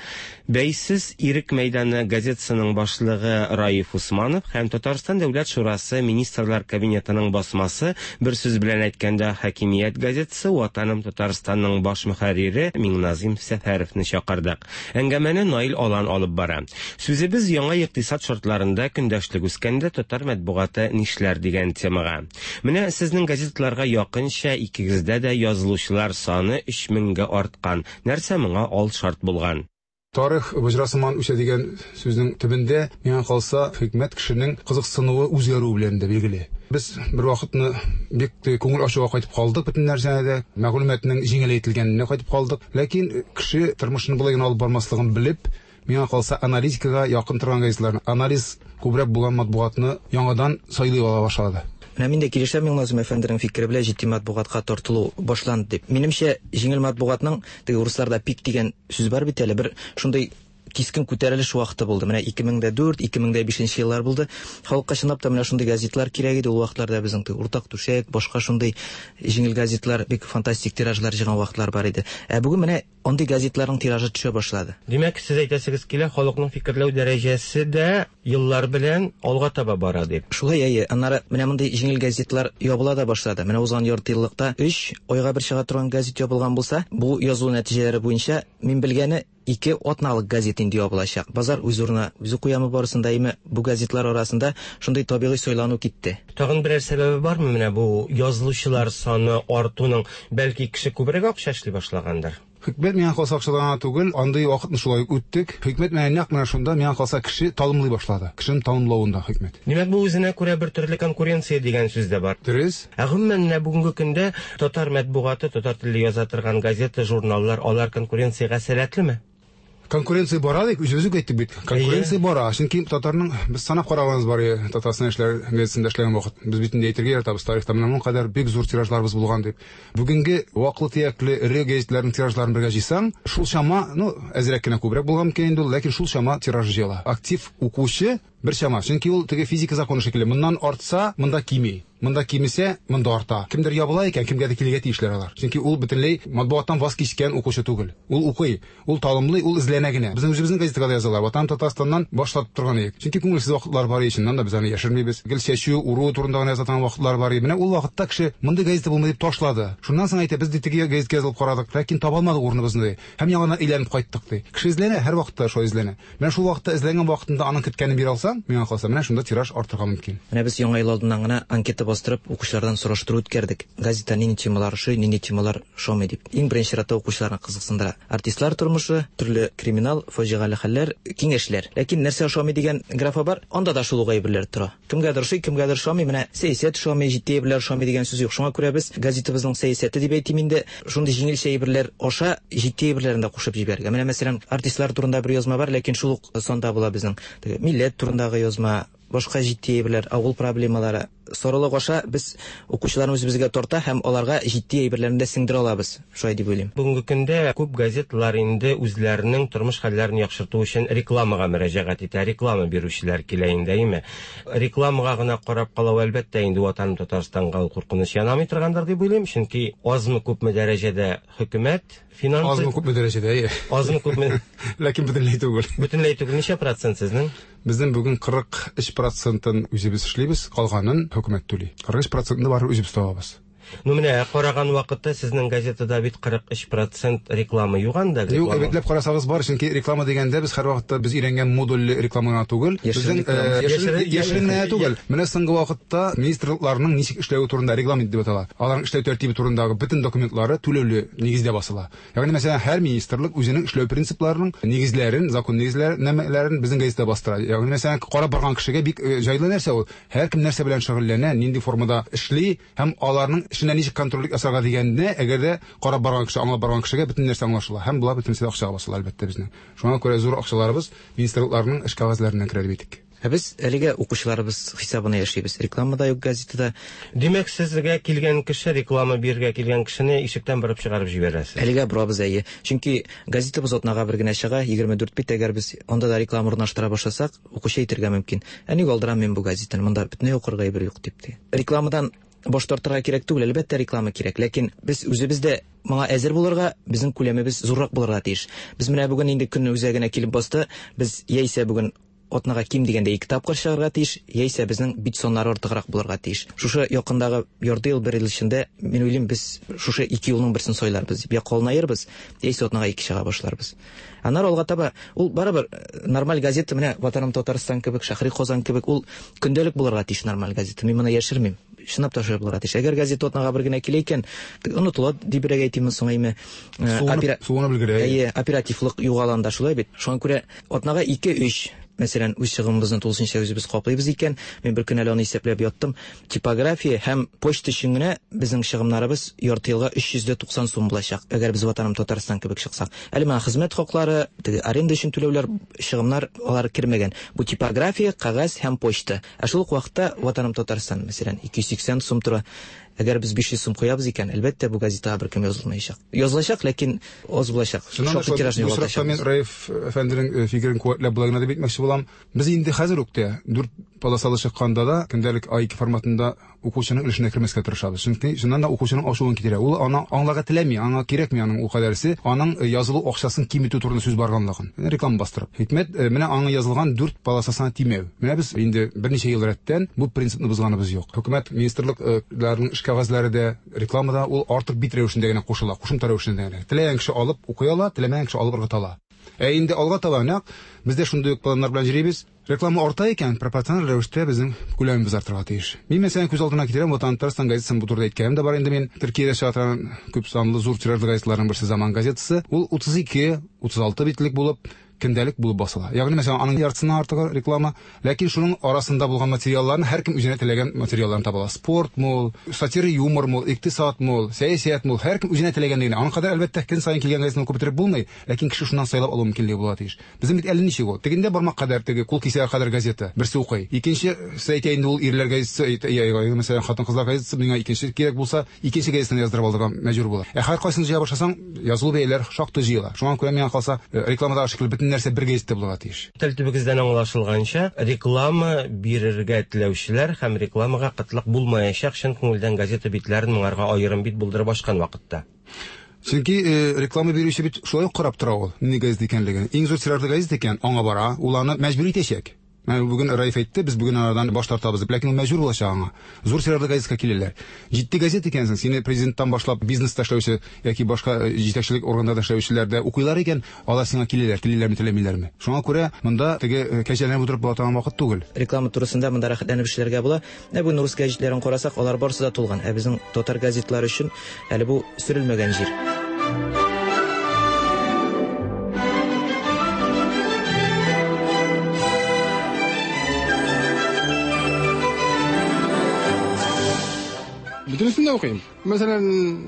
L: Бәйсез Ирек мәйданы газетасының башлыгы Раиф Усманов һәм Татарстан Дәүләт Шурасы Министрлар Кабинетының басмасы, бер сүз белән әйткәндә, хакимият газетасы Ватаным Татарстанның баш мөхәррире Миңназыйм Сәфәровны чакырдык. Әңгәмәне Наил Алан алып бара. Сүзебез яңа икътисад шартларында көндәшлек үскәндә татар матбугаты нишләр дигән темага. Менә сезнең газеталарга якынча икегездә дә язылучылар саны 3000гә арткан. Нәрсә моңа ал шарт булган?
M: Тарих боҗра сыман үсә дигән сүзнең төбендә, миңа калса, хикмәт кешенең кызыксынуы үзгәрү белән дә билгеле. Без бер вакытны бик күңел ачуга кайтып калдык бөтен нәрсәне дә, мәгълүматның җиңеләйтелгәненә кайтып калдык. Ләкин кеше тормышын болай гына алып бармаслыгын белеп, миңа калса, аналитикага якын торган газетларны, анализ күбрәк булган матбугатны яңадан сайлый ала башлады.
N: Менә мин дә килешәм Миңназыйм әфәнденең фикере белән, җитди матбугатка тартылу башланды дип. Минемчә, җиңел матбугатның, теге урысларда пик дигән сүз бар бит әле, бер шундый кискен күтәрелеш вакыты булды. Менә 2004, 2005 еллар булды. Халыкка чынлап та менә шундый газетлар кирәк иде. Ул вакытларда безнең теге Уртак түшәк, башка шундый җиңел газетлар бик фантастик тиражлар җыйган вакытлар бар иде. Ә бүген менә андый газетларның тиражы төшә башлады.
L: Димәк, сез әйтәсегез килә, халыкның фикерләү дәрәҗәсе дә еллар белән алга таба бара дип.
N: Шулай, әйе. Аннары менә мондый җиңел газетлар ябыла да башлады. Менә узган ярты еллыкта 3 айга бер чыга торган газет ябылган булса, бу язылу нәтиҗәләре буенча мин белгәне 2 атналык газет инде ябылачак. Базар үз урынына үзе куямы барысын да, әмма бу газетлар арасында шундый табигый сайлану китте.
L: Тагын берәр сәбәбе бармы менә бу язылучылар саны артуның? Бәлки кеше күбрәк акча эшли башлагандыр?
M: Хикмәт миңа калса акчадан гына түгел, андый вакытны шулай ук үттек. Хикмәт менә нәкъ менә шунда миңа калса кеше талымлый башлады. Кешенең талымлавында хикмәт.
L: Димәк, бу үзенә күрә бер төрле конкуренция дигән сүз дә бар.
M: Дөрес.
L: Ә гомумән менә бүгенге көндә татар матбугаты, татар телле яза торган газета, журналлар, алар конкуренциягә сәләтлеме?
M: Конкуренция бара дип үзебез үк әйттек бит. Конкуренция бара. Чөнки татарның без санап караганыбыз бар иде, Татарстан эшләр газетасында эшләгән вакыт. Без бит инде әйтергә яратабыз, тарихта менә моның кадәр бик зур тиражларыбыз булган дип. Бүгенге ваклы-төякле эре газетләрнең тиражларын бергә җыйсаң, шул чама, ну, әзрәк кенә күбрәк булган микән инде ул, ләкин шул чама тираж җыела. Актив укучы бер чама. Чөнки ул теге физика законы шикелле, моннан артса, монда кими. Монда кимесә, монда арта. Кемдер ябыла икән, кемгәдер килергә тиешләр алар. Чөнки ул бөтенләй матбугаттан ваз кичкән укучы түгел. Ул укый, ул талымлый, ул эзләнә генә. Безнең үзебезнең газетага да язалар. Ватаным Татарстаннан баш тартып торган идек. Чөнки күңелсез вакытлар бар иде, чыннан да без аны яшермибез. Гел чәчү, уру турында гына яза торган вакытлар бар иде. Менә ул вакытта кеше мондый газета булмый дип ташлады. Шуннан соң әйтә, без ди теге газетка язылып карадык, ләкин таба алмадык урыныбызны ди. Һәм яңадан әйләнеп кайттык ди. Кеше эзләнә, һәрвакытта шулай эзләнә. Менә шул вакытта эзләнгән вакытында аның көткәнен бирә алсаң, миңа калса, менә шунда тираж артырга мөмкин.
N: Менә без Яңа ел алдыннан гына анкета бастырып, укучылардан сораштыру үткәрдек. Газета нинди темалар ошый, нинди темалар ошамый дип. Иң беренче чиратта укучыларны кызыксындыра. Артистлар тормышы, төрле криминал, фаҗигале хәлләр, киңәшләр. Ләкин нәрсә ошамый дигән графа бар, анда да шул ук әйберләр тора. Кемгәдер ошый, кемгәдер ошамый. Менә сәясәт ошамый, җитди әйберләр ошамый дигән сүз юк. Шуңа күрә без газетабызның сәясәте дип әйтим инде, шундый җиңелчә әйберләр аша җитди әйберләрен дә кушып җибәрергә. Менә мәсәлән, артистлар турында бер язма бар, ләкин шул ук санда була безнең. Теге милләт турындагы язма, башка җитди әйберләр, авыл проблемалары. Сорылык аша без укучыларны үзебезгә тарта һәм аларга җитди әйберләрне дә сеңдерә алабыз. Шулай дип уйлыйм.
L: Бүгенге көндә күп газеталар инде үзләренең тормыш хәлләрен яхшырту өчен рекламага мөрәҗәгать итә, реклама бирүчеләр килә инде, әйеме? Рекламага гына карап калу, әлбәттә, инде Ватаным Татарстанга ул куркыныч янамый торгандыр дип уйлыйм, чөнки азмы-күпме дәрәҗәдә хөкүмәт финансы...
M: Азмы-күпме дәрәҗәдә, әйе.
L: Азмы-күпме...
M: Ләкин бөтенләй түгел.
L: Бөтенләй түгел. Ничә процент сезнең?
M: Безнең бүген 43 процентын үзебез эшлибез, калганын хөкүмәт түли. 43 процентны барыбер үзебез табабыз.
L: Ну менә караган вакытта сезнең газетада бит 43 процент реклама юк анда.
M: Юк, әйбәтләп карасагыз бар, чөнки реклама дигәндә без һәрвакытта без өйрәнгән модульле реклама гына түгел, безнең яшерен генә түгел. Менә соңгы вакытта министрлыкларның ничек эшләве турында регламент дип атала. Аларның эшләү тәртибе турындагы бөтен документлары түләүле нигездә басыла. Ягъни, мәсәлән, һәр министрлык үзенең эшләү принципларының нигезләрен, закон нигезләрен безнең газетада бастыра. Ягъни, мәсәлән, карап барган кешегә бик җайлы нәрсә ул. Һәркем нәрсә белән шөгыльләнә, нинди формада эшли һәм аларның эшенә ничек контрольлек ясарга дигәнне, әгәр дә карап барган кеше, аңлап барган кешегә бөтен нәрсә аңлашыла. Һәм болар бөтенесе дә акчага басыла, әлбәттә, безнең. Шуңа күрә зур акчаларыбыз министрлыкларның эш кәгазьләреннән керә дип әйтик.
N: Ә без әлегә укучыларыбыз хисабына яшибез. Реклама да юк газетада.
L: Димәк, сезгә килгән кеше, реклама бирергә килгән кешене ишектән борып чыгарып җибәрәсез.
N: Әлегә борабыз, әйе. Чөнки газетабыз атнага бер генә чыга, 24 бит. Әгәр без анда да реклама урнаштыра башласак, укучы әйтергә мөмкин. Ә ник алдырам мин бу газетаны, монда бөтенләй укырга әйбер юк дип ди. Рекламадан баш тартырга кирәк түгел, әлбәттә, реклама кирәк. Ләкин без үзебез дә моңа әзер булырга, безнең күләмебез зуррак булырга тиеш. Без менә бүген инде көн үзәгенә килеп басты. Без яисә бүген атнага ким дигәндә 2 тапкыр чыгарга тиеш, яисә безнең бит саннары артыграк булырга тиеш. Шушы якындагы ярты ел, бер ел эчендә, мин уйлыйм, без шушы ике юлның берсен сайларбыз дип. Я калынаербыз, яисә атнага 2 чыга башларбыз. Аннары алга таба, ул барыбер нормаль газета, менә Ватаным Татарстан кебек, Шәһри Казан кебек, ул көндәлек булырга тиеш нормаль газета. Мин моны яшермим. Чынлап та шулай булырга тиеш. Әгәр газета атнага бер генә килә икән, онытыла дибрәк әйтимме соң, әйме?
M: Суынып өлгерә.
N: Әйе, оперативлык югала анда, шулай бит. Шуңа күрә атнага 2-3, мәсәлән, үз чыгымыбызны тулысынча үзебез каплыйбыз икән, мин бер көн әле аны исәпләп яттым. Типография һәм почта өчен генә безнең чыгымнарыбыз ярты елга 390 сум булачак, әгәр без Ватаным Татарстан кебек чыксак. Әле моңа хезмәт хаклары, теге аренда өчен түләүләр, чыгымнар алар кермәгән. Бу типография, кәгазь һәм почта. Ә шул ук вакытта Ватаным Татарстан, мәсәлән, 280 сум тора. Әгәр без 500 сум куябыз икән, әлбәттә, бу газетага беркем язылмаячак. Язылачак, ләкин аз булачак. Шактый тиражны
M: Бу соракта мин
N: югалтачакбыз.
M: Раиф әфәнденең фикерен куәтләп болай гына дип әйтмәкче булам. Без инде хәзер үк тә 4 полосалы чыкканда да көндәлек А2 форматында укучының өлешенә кермәскә тырышабыз. Чөнки чыннан да укучының ачуын китерә. Ул аны аңларга теләми, аңа кирәкми аның ул кадәрсе, аның язылу акчасын киметү турында сүз барганлыгын. Реклама бастырып. Хикмәт, менә аңа язылган 4 полосасына тимәү. Менә без инде берничә ел рәттән бу принципны бозганыбыз юк. Хөкүмәт министрлыкларының эш кәгазьләре дә, реклама да ул артык бит рәвешендә генә кушыла, кушымта рәвешендә генә. Теләгән кеше алып укый ала, теләмәгән кеше алып ыргыта ала. Ә инде алга таба нәкъ без дә шундый ук планнар белән йөрибез. Реклама арта икән, пропорциональ рәвештә безнең күләмебез артырга тиеш. Мин мәсәлән күз алдына китерәм, Ватан Татарстан газетасын бу турыда әйткәнем дә бар инде мин. Төркиядә чыга торган күп санлы зур тиражлы газеталарның берсе Заман газетасы. Ул 32, 36 битлек булып, көндәлек булып басыла. Ягъни мәсәлән, аның яртысыннан артыгы реклама, ләкин шуның арасында булган материалларны һәркем үзенә теләгән материалларны таба ала. Спортмы ул, сатира, юмормы ул, икътисадмы ул, сәясәтме ул, һәркем үзенә теләгәнне генә. Аның кадәр, әлбәттә, көн саен килгән газетаны укып бетереп булмый, ләкин кеше шуннан сайлап алу мөмкинлеге була тиеш. Безнең бит әле ничек ул? Тегендә бармак кадәр, теге кул кисәге кадәр газета, берсе укый. Икенчесе әйтә инде ул ирләр газетасы, әйтә, мәсәлән, хатын-кызлар газетасы, миңа икенче кирәк булса, икенче газетаны яздырып алырга мәҗбүр була. Ә һәркайсын җыя башласаң, язылу бәяләр шактый җыела. Шуңа күрә миңа калса, рекламадагы шикелле бөтен нәрсә бер газетта булырга тиеш.
L: Тел төбегездән аңлашылганча, реклама бирергә теләүчеләр һәм рекламага кытлык булмаячак, чын күңелдән газета битләрен моңарга аерым бит булдырып ачкан вакытта.
M: Чөнки реклама бирүче бит шулай ук карап тора ул, нинди газета икәнлеген. Иң зур тиражлы газета икән, аңа бара, ул аны мәҗбүр итәчәк. Менә бүген Раиф әйтте, без бүген анардан баш тартабыз дип, ләкин ул мәҗбүр булачак аңа. Зур тиражлы газетка киләләр. Җитди газета икәнсең, сине президенттан башлап бизнеста эшләүче яки башка җитәкчелек органнарда эшләүчеләр дә укыйлар икән, алар сиңа киләләр, телиләрме, теләмиләрме. Шуңа күрә монда теге кәҗәләнеп утырып була торган вакыт түгел.
N: Реклама турысында монда рәхәтләнеп эшләргә була. Ә бүген рус гәҗитләрен карасак, алар барысы да тулган. Ә безнең татар газетлары өчен әле бу сөрелмәгән җир.
O: Бөтенесен дә укыйм. Мәсәлән,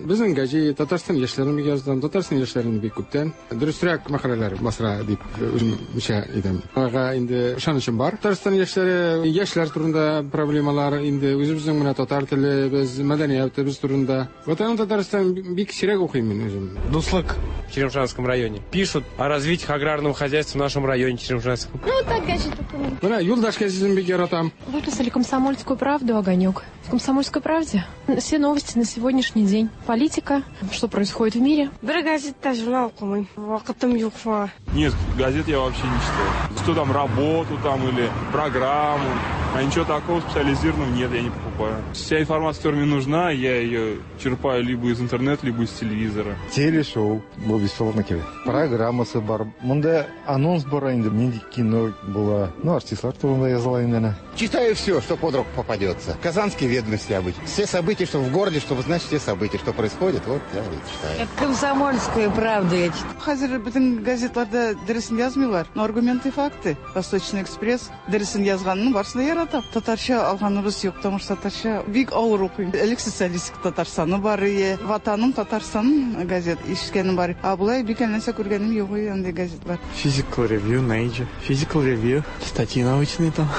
O: безнең гәҗит, Татарстан яшьләрен бик яздым, Татарстан яшьләрен бик күптән. Дөресрәк мәкаләләр бастыра дип үземчә әйтәм. Аларга инде ышанычым бар. Татарстан яшьләре, яшьләр турында проблемалар, инде үзебезнең менә татар телебез, мәдәниятебез турында. Ватаным Татарстан бик сирәк укыйм мин үзем.
J: Дуслык в Черемшанском районе. Пишут о развитии аграрного хозяйства в нашем районе Черемшанском.
P: Ну, так газету укыйм.
O: Менә Юлдаш газетын бик яратам.
P: Выписали «Комсомольскую правду», «Огонек». В «Комсомольской правде» все новости на сегодняшний день. Политика, что происходит в мире.
Q: Бер газет та журнал укымыйм. Вакытым юк шуңа.
R: Нет, газет я вообще не читаю. Что там, работу там или программу. А ничего такого специализированного нет, я не покупаю. Вся информация, которая мне нужна, я ее черпаю либо из интернета, либо из телевизора.
S: Телешоу бу бесплатно кебек. Программасы бар. Монда анонс бар инде, нинди кино була. Ну, артистлар турында языла инде әнә.
T: Читаю все, что под руку попадется. Казанские ведомости обычно. Все события, что в городе, чтобы знать все события, что происходит, вот я и читаю.
U: «Комсомольскую правду» я читаю.
V: Хәзер бөтен газетларда дөресен язмыйлар. Но аргументы и факты. Восточный экспресс дөресен язганын барысын да яратам. Татарча алганыбыз юк, потому что татарча бик авыр укыйм. Элек социалистик Татарстаны бар ие, Ватаным Татарстан газет ишеткәнем бар. А болай бик әллә нәрсә күргәнем юк андый газетлар.
W: Physical Review, Nature. Physical Review, статьи научные там.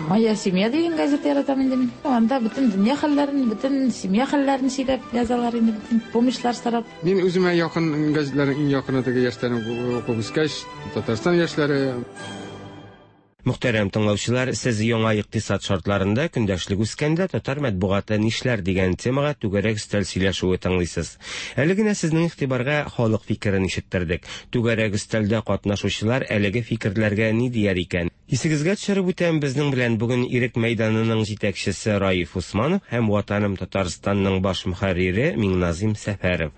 X: Моя семья дигән газета яратам инде мин. Анда бөтен дөнья хәлләрен, бөтен семья хәлләрен сөйләп язалар инде, бөтен помощьлар сорап.
O: Мин үземә якын газетларның иң якыны теге яшьләрне укып үскәч, Татарстан яшьләре.
L: Мөхтәрәм тыңлаучылар, сез яңа икътисад шартларында көндәшлек үскәндә татар матбугаты нишләр дигән темага түгәрәк өстәл сөйләшүе тыңлыйсыз. Әле генә сезнең игътибарга халык фикерен ишеттердек. Түгәрәк өстәлдә катнашучылар әлеге фикерләргә ни дияр икән? Исегезгә төшереп үтәм, безнең белән бүген Ирек мәйданының җитәкчесе Раиф Усманов һәм Ватаным Татарстанның баш мөхәррире Миңназим Сәфәров.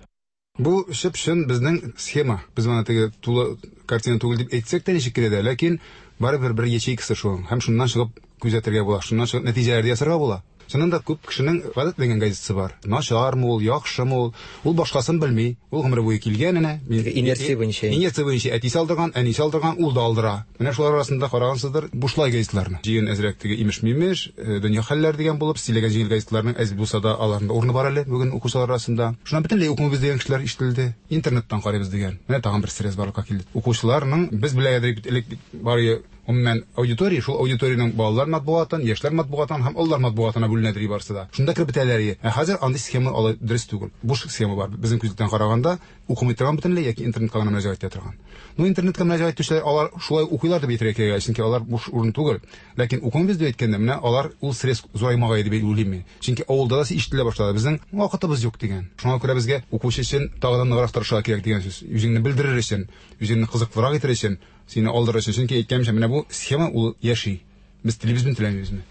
M: Бу чып-чын безнең схема. Без моны теге тулы картина түгел дип әйтсәк тә ничек кенә дә, ләкин барыбер бер ячейкасы шул. Һәм шуннан чыгып күзәтергә була, шуннан чыгып нәтиҗәләр ясарга була. Чыннан да күп кешенең гадәтләнгән газетасы бар. Начармы ул, яхшымы ул, ул башкасын белми. Ул гомере буе килгән әнә.
N: Инерция буенча.
M: Инерция буенча әтисе алдырган, әнисе алдырган, ул да алдыра. Менә шулар арасында карагансыздыр бушлай газетларны. Җыен әзрәк теге имеш-мимеш, дөнья хәлләре дигән булып, сөйләгән җиңел газетларның әз булса да аларның да урыны бар әле бүген укучылар арасында. Шуннан бөтенләй укымыйбыз дигән кешеләр ишетелде. Интернеттан карыйбыз дигән. Менә тагын бер стресс барлыкка килде. Укучыларның без белә идек бит элек бар гомумән аудитория, шул аудиториянең балалар матбугатын, яшьләр матбугатын һәм олылар матбугатына бүленәдер барысы да. Шунда кереп бетәләр. Ә хәзер андый схема алай дөрес түгел. Буш схема бар. Безнең күзлектән караганда укымый торган бөтенләй яки интернетка гына мөрәҗәгать итә торган. Ну, интернетка мөрәҗәгать итүчеләр алар шулай укыйлар дип әйтергә кирәк, чөнки алар буш урын түгел. Ләкин укымыйбыз дип әйткәндә, менә алар ул стресс зураймагай дип уйлыйм мин. Чөнки авылда да ишетелә башлады. Безнең вакытыбыз юк дигән. Шуңа күрә безгә укучы өчен тагы да ныграк тырышырга кирәк дигән сүз. Үзеңне белдерер өчен, үзеңне кызыклырак итер өчен, сине алдырыр өчен. Чөнки әйткәнемчә, менә бу схема ул яши. Без телибезме, теләмибезме?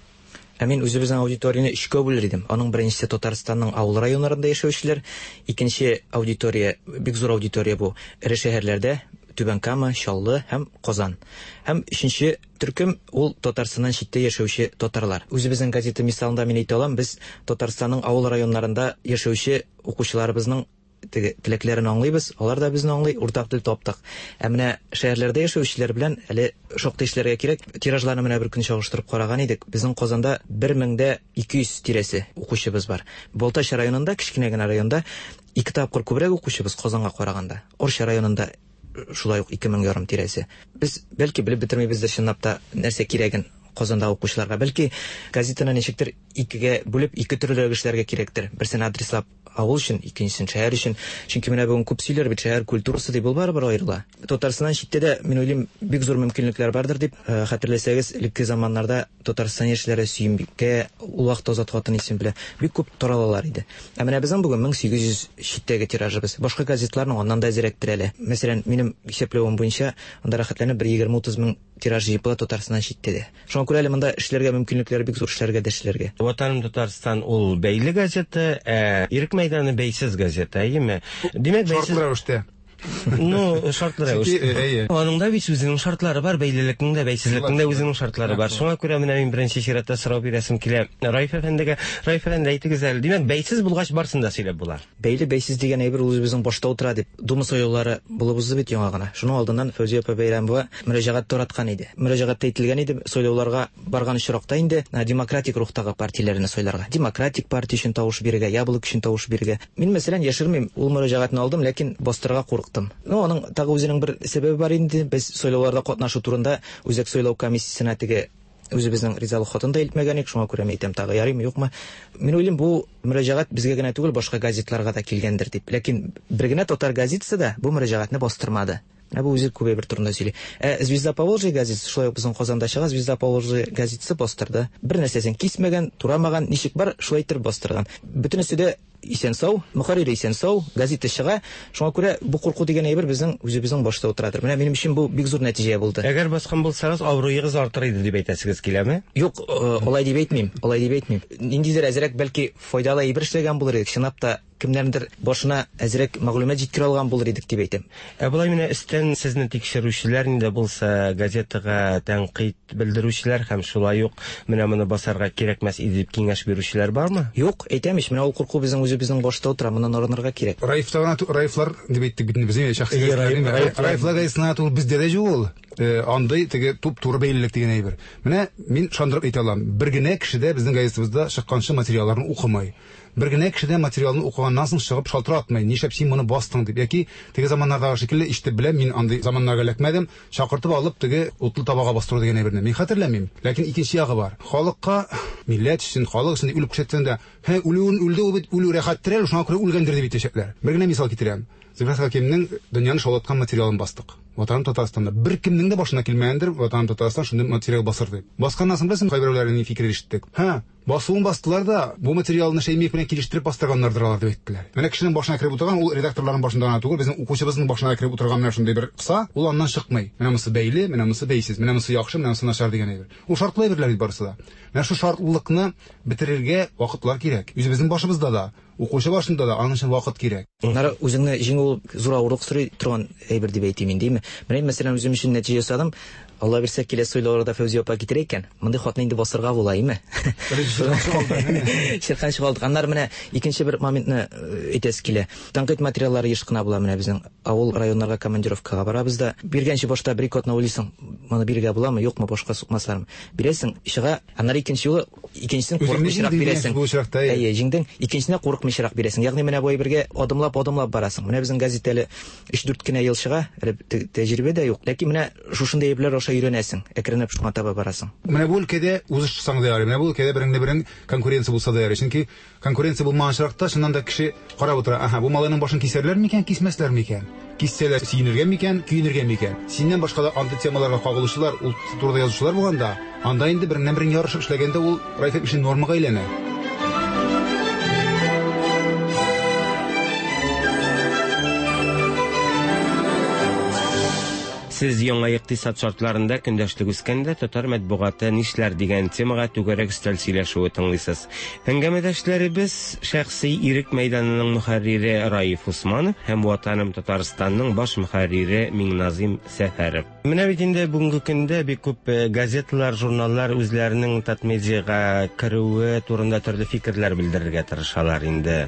N: Ә мин үзебезнең аудиторияне өчкә бүлер идем. Аның беренчесе Татарстанның авыл районнарында яшәүчеләр, икенче аудитория, бик зур аудитория бу, эре шәһәрләрдә, Түбән Кама, Чаллы һәм Казан. Һәм өченче төркем ул Татарстаннан читтә яшәүче татарлар. Үзебезнең газета мисалында мин әйтә алам, без Татарстанның авыл районнарында яшәүче укучыларыбызның теге теләкләрен аңлыйбыз, алар да безне аңлый, уртак тел таптык. Ә менә шәһәрләрдә яшәүчеләр белән әле шактый эшләргә кирәк. Тиражларны менә бер көн чагыштырып караган идек. Безнең Казанда 1200 тирәсе укучыбыз бар. Балтач районында, кечкенә генә районда, ике тапкыр күбрәк укучыбыз Казанга караганда. Орча районында шулай ук 2500 тирәсе. Без бәлки белеп бетермибездер чынлап та нәрсә кирәген Казанда укучыларга. Бәлки газетаны ничектер икегә бүлеп, ике төрлерәк эшләргә кирәктер. Берсен адреслап авыл өчен, икенчесен шәһәр өчен. Чөнки менә бүген күп сөйләр бит, шәһәр культурасы дип, ул барыбер аерыла. Татарстаннан читтә дә, мин уйлыйм, бик зур мөмкинлекләр бардыр дип. Хәтерләсәгез, элекке заманнарда Татарстан яшьләре Сөембикә, ул вакытта Азат хатын исеме белән бик күп таралалар иде. Ә менә безнең бүген 1800 читтәге тиражыбыз. Башка газетларның аннан да әзрәктер әле. Мәсәлән, минем исәпләвем буенча, анда рәхәтләнеп бер 20-30 мең тираж җыеп була Татарстаннан читтә дә. Шуңа күрә әле монда эшләргә мөмкинлекләр бик зур, эшләргә дә эшләргә.
L: Ватаным Татарстан ул бәйле газета, ә Ирек мәйданы бәйсез газета, әйеме? Димәк, бәйсез...
M: Шартлы рәвештә.
L: Ну, шартлы рәвештә.
M: Әйе.
L: Аның да бит үзенең шартлары бар, бәйлелекнең дә, бәйсезлекнең дә үзенең шартлары бар. Шуңа күрә менә мин беренче чиратта сорау бирәсем килә Раиф әфәндегә. Раиф әфәнде, әйтегез әле, димәк, бәйсез булгач барсын да сөйләп була.
N: Бәйле, бәйсез дигән әйбер ул үзебезнең башта утыра дип. Дума сайлаулары булып узды бит яңа гына. Шуның алдыннан Фәүзия апа Бәйрәмова мөрәҗәгать тараткан иде. Мөрәҗәгатьтә әйтелгән иде, сайлауларга барган очракта инде демократик рухтагы партияләрне сайларга. Демократик партия өчен тавыш бирергә, Яблоко өчен тавыш бирергә. Мин, мәсәлән, яшермим, ул мөрәҗәгатьне алдым, ләкин бастырырга курыктым. Ну, аның тагы үзенең бер сәбәбе бар инде. Без сайлауларда катнашу турында Үзәк сайлау комиссиясенә теге үзебезнең ризалык хатын да илтмәгән идек, шуңа күрә мин әйтәм, тагы ярыймы, юкмы. Мин уйлыйм, бу мөрәҗәгать безгә генә түгел, башка газетларга да килгәндер дип. Ләкин бер генә татар газетасы да бу мөрәҗәгатьне бастырмады. Менә бу үзе күп әйбер турында сөйли. Ә Звезда Поволжья газетасы шулай ук безнең Казанда чыга, Звезда Поволжья газетасы бастырды. Бер нәрсәсен кисмәгән, турамаган, ничек бар, шулай иттереп бастырган. Бөтенесе дә исән-сау, мөхәррире исән-сау, газета чыга. Шуңа күрә бу курку дигән әйбер безнең үзебезнең башта утырадыр. Менә минем өчен бу бик зур нәтиҗә булды.
L: Әгәр баскан булсагыз, абруегыз артыр иде дип әйтәсегез киләме?
N: Юк, алай дип әйтмим, алай дип әйтмим. Ниндидер әзрәк бәлки файдалы әйбер эшләгән булыр идек. Чынлап та кемнәрнедер башына әзрәк мәгълүмат җиткерә алган булыр идек дип әйтәм.
L: Ә болай менә өстән сезне тикшерүчеләр, нинди булса газетага тәнкыйть белдерүчеләр һәм шулай ук менә моны басарга кирәкмәс иде дип киңәш бирүчеләр бармы?
N: Юк, әйтәм ич, менә ул курку безнең үзебезнең башта утыра, моннан арынырга кирәк.
M: Раифта гына, Раифлар дип әйттек бит инде без, әйе, шәхси
N: Әйе,
M: газеталар,
N: Раиф,
M: әйе,
N: Раифлар.
M: Раифлар газетасына түгел, бездә дә юк ул. Андый теге туп-туры бәйлелек дигән әйбер. Менә мин ышандырып әйтә алам, бер генә кеше дә безнең газетабызда чыкканчы материалларны укымый. Бер генә кеше дә материалны укыганнан соң чыгып шалтыратмый, нишләп син моны бастың дип, яки теге заманнардагы шикелле ишетеп беләм, мин андый заманнарга эләкмәдем, чакыртып алып теге утлы табага бастыру дигән әйберне мин хәтерләмим. Ләкин икенче ягы бар. Халыкка, милләт өчен, халык өчен дип үлеп күрсәтсәң дә, һе, үлүен үлде ул бит, үлү рәхәттер әле, шуңа күрә үлгәндер дип әйтәчәкләр. Бер генә мисал китерәм. Зөфәр Хәкимнең дөньяны шаулаткан материалын бастык. Ватаным Татарстанда. Беркемнең дә башына килмәгәндер, Ватаным Татарстан шундый материал басыр дип. Басканнан соң беләсеңме, кайберәүләрнең ни фикерен ишеттек. Һә, басуын бастылар да, бу материалны Шәймиев белән килештереп бастырганнардыр алар дип әйттеләр. Менә кешенең башына кереп утырган, ул редакторларның башында гына түгел, безнең укучыбызның башына да кереп утырган менә шундый бер кыса, ул аннан чыкмый. Менә монысы бәйле, менә монысы бәйсез, менә монысы яхшы, менә монысы начар дигән әйбер. Ул шартлы әйберләр бит барысы да. Менә шул шартлылыкны бетерергә вакытлар кирәк. Үзебезнең башыбызда да, укучы башында да аның өчен вакыт кирәк.
N: Аннары үзеңне җиңү ул зур авырлык сорый торган әйбер дип әйтим инде, әйме? Менә мин, мәсәлән, үзем өчен нәтиҗә ясадым. Алла бирсә, киләсе сайлауларда Фәүзия апа китерә икән, мондый хатны инде басырга була, әйме? Чирканчык алдык. Аннары менә икенче бер моментны әйтәсе килә. Тәнкыйть материаллары еш кына була менә безнең авыл районнарга командировкага барабыз да. Биргәнче башта бер-ике атна уйлыйсың, моны бирергә буламы, юкмы, башка сукмаслармы. Бирәсең, чыга, аннары икенче юлы икенчесен курыкмыйчарак бирәсең.
M: Бу очракта,
N: әйе. Җиңдең, икенчесенә курыкмыйчарак бирәсең. Ягъни менә бу әйбергә адымлап-адымлап барасың. Менә безнең газета әле өч-дүрт кенә ел чыга, әле тәҗрибә дә юк. Ләкин менә шушындый әйберләр аша өйрәнәсең, әкренләп шуңа таба барасың.
M: Менә бу өлкәдә узышсаң да ярый, менә бу өлкәдә береңне-берең конкуренция булса да ярый. Чөнки конкуренция булмаган очракта, чыннан да кеше карап утыра, аһа, бу малайның башын кисәрләр микән, кисмәсләр микән? Киссәләр, сөенергә микән, көенергә микән? Синнән башка да андый темаларга кагылучылар, ул турыда язучылар булганда, анда инде береңнән-берең ярышып эшләгәндә ул Райф өчен нормага әйләнә.
L: Сез яңа икътисад шартларында көндәшлек үскәндә татар матбугаты нишләр дигән темага түгәрәк өстәл сөйләшүе тыңлыйсыз. Әңгәмәдәшләребез шәхси Ирек мәйданының мөхәррире Раиф Усманов һәм Ватаным Татарстанның баш мөхәррире Миңназыйм Сәфәров. Менә бит инде бүгенге көндә бик күп газеталар, журналлар үзләренең Татмедиага керүе турында төрле фикерләр белдерергә тырышалар инде.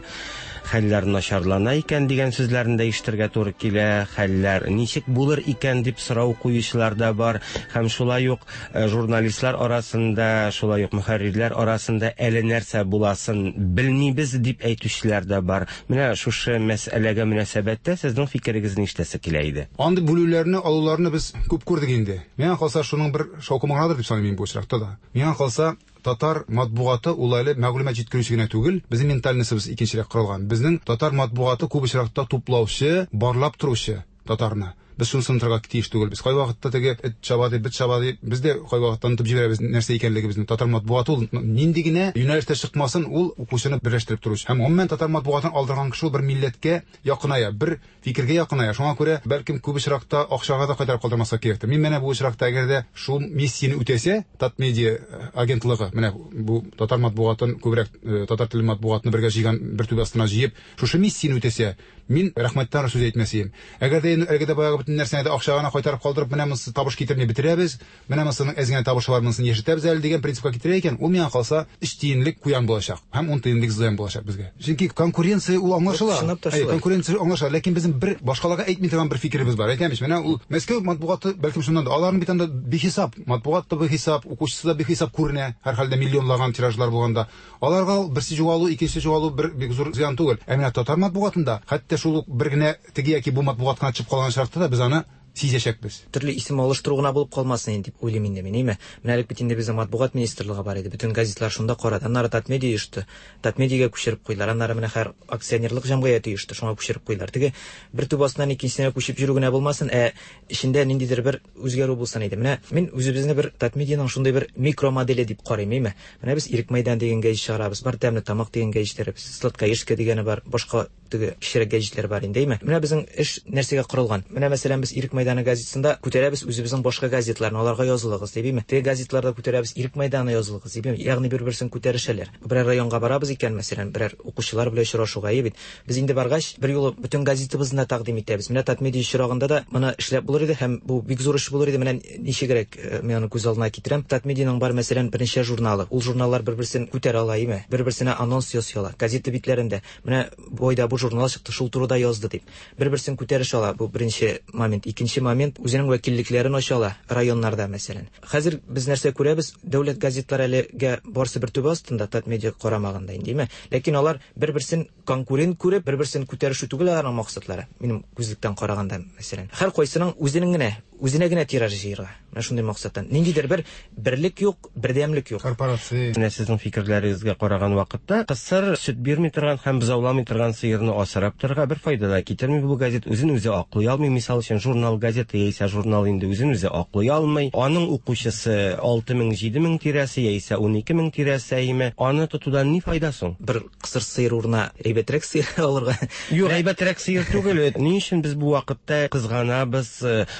L: Хәлләр начарлана икән дигән сүзләрне дә ишетергә туры килә. Хәлләр ничек булыр икән дип сорау куючылар да бар. Һәм шулай ук журналистлар арасында, шулай ук мөхәррирләр арасында әле нәрсә буласын белмибез дип әйтүчеләр дә бар. Менә шушы мәсьәләгә мөнәсәбәттә сезнең фикерегезне ишетәсе килә иде.
M: Андый бүлүләрне, алуларны без күп күрдек инде. Миңа калса, шуның бер шаукымы гынадыр дип саныйм мин бу очракта да. Миңа калса, татар матбугаты ул әле мәгълүмат җиткерүче генә түгел, безнең ментальностебыз икенчерәк корылган. Безнең татар матбугаты күп очракта туплаучы, барлап торучы татарны. Без шунысын онытырга тиеш түгелбез. Кайвакытта теге эт чаба дип, бет чаба дип, без дә кайвакытта онытып җибәрәбез нәрсә икәнлегебезне. Татар матбугаты ул нинди генә юнәлештә чыкмасын, ул укучыны берләштереп торучы. Һәм гомумән татар матбугатын алдырган кеше ул бер милләткә якыная, бер фикергә якыная. Шуңа күрә, бәлкем, күп очракта акчага да кайтарып калдырмаска кирәктер. Мин менә бу очракта, әгәр дә шул миссияне үтәсә, Татмедиа агентлыгы, менә бу татар матбугатын күбрәк татар теле матбугатны бергә җыйган, бер түбә астына җыеп, шушы миссияне үтәсә, мин рәхмәттән сүз әйтмәс идем. Әгәр дә әлеге дә баягы бөтен нәрсәне дә акчага гына кайтарып калдырып, менә монысы табыш китерми бетерәбез, менә монысының әз генә табышы бар, монысын яшәтәбез әле дигән принципка китерә икән, ул миңа калса, өч тиенлек куян булачак һәм ун тиенлек зыян булачак безгә. Чөнки конкуренция ул аңлашыла.
N: Чынлап та
M: Әйе,
N: шулай.
M: конкуренция аңлашыла, ләкин безнең бер башкаларга әйтми торган бер фикеребез бар. Әйтәм ич, менә ул Мәскәү матбугаты бәлкем шуннан да, аларның бит анда бихисап, матбугат та бихисап, укучысы да бихисап күренә, һәрхәлдә миллионлаган тиражлар булганда. Аларга ул берсе югалу, икенчесе югалу бер бик зур зыян түгел. Ә менә татар матбугатында хәтта шул ук бер генә теге яки бу матбугат кына төшеп калган очракта да без аны сизәчәкбез.
N: Төрле исем алыштыру гына булып калмасын инде дип уйлыйм инде мин, әйме? Менә элек бит инде безнең матбугат министрлыгы бар иде, бөтен газетлар шунда карады. Аннары Татмедиа оешты, Татмедиага күчереп куйдылар. Аннары менә хәер акционерлык җәмгыяте оешты, шуңа күчереп куйдылар. Теге бер түбә астыннан икенчесенә күчеп йөрү генә булмасын, ә эчендә ниндидер бер үзгәрү булсын иде. Менә мин үзебезне бер Татмедианың шундый бер микромоделе дип карыйм, әйме? Менә без Ирек мәйдан дигән гәҗит чыгарабыз, бар Тәмле тамак дигән гәҗитләребез, Сладкоежка дигәне бар, башка теге кечерәк гәҗитләр бар инде, әйме? Менә безнең эш нәрсәгә корылган? Менә, мәсәлән, без Ирек мәйданы газетасында күтәрәбез үзебезнең башка газетларны, аларга язылыгыз дип, әйме? Теге газетларда күтәрәбез Ирек мәйданы язылыгыз дип, әйме? Ягъни бер-берсен күтәрешәләр. Берәр районга барабыз икән, мәсәлән, берәр укучылар белән очрашуга, әйе бит? Без инде баргач, берьюлы бөтен газетабызны да тәкъдим итәбез. Менә Татмедиа очрагында да моны эшләп булыр иде һәм бу бик зур эш булыр иде. Менә ничегрәк мин аны күз алдына китерәм. Татмедианың бар, мәсәлән, берничә журналы. Ул журналлар бер-берсен күтәрә ала, әйеме? Бер-берсенә анонс ясый ала. Газета битләрендә менә бу айда бу журнал чыкты, шул турыда язды дип. Бер-берсен күтәрешә ала, бу беренче момент. Икенче момент, үзенең вәкиллекләрен ача ала районнарда, мәсәлән. Хәзер без нәрсә күрәбез, дәүләт газетлары әлегә барысы бер түбә астында, Татмедиа карамагында инде, әйеме? Ләкин алар бер-берсен конкурент күреп, бер-берсен күтәрешү түгел аларның максатлары, минем күзлектән караганда, мәсәлән. Һәркайсының үзенең генә, үзенә генә тираж җыерга. Менә шундый максаттан. Ниндидер бер берлек юк, бердәмлек юк.
M: Корпорация.
L: Менә сезнең фикерләрегезгә караган вакытта, кысыр, сөт бирми торган һәм бозауламый торган сыерны асрап торырга бер файда да китерми бу газет, үзен үзе аклый алмый. Мисал өчен, журнал, газета яисә журнал инде үзен үзе аклый алмый. Аның укучысы 6000, 7000 тирәсе яисә 12000 тирәсе, әйеме? Аны тотудан ни файда соң?
N: Бер кысыр сыер урынына әйбәтрәк сыер алырга.
L: Юк, әйбәтрәк сыер түгел. Ни өчен без бу вакытта кызганабыз,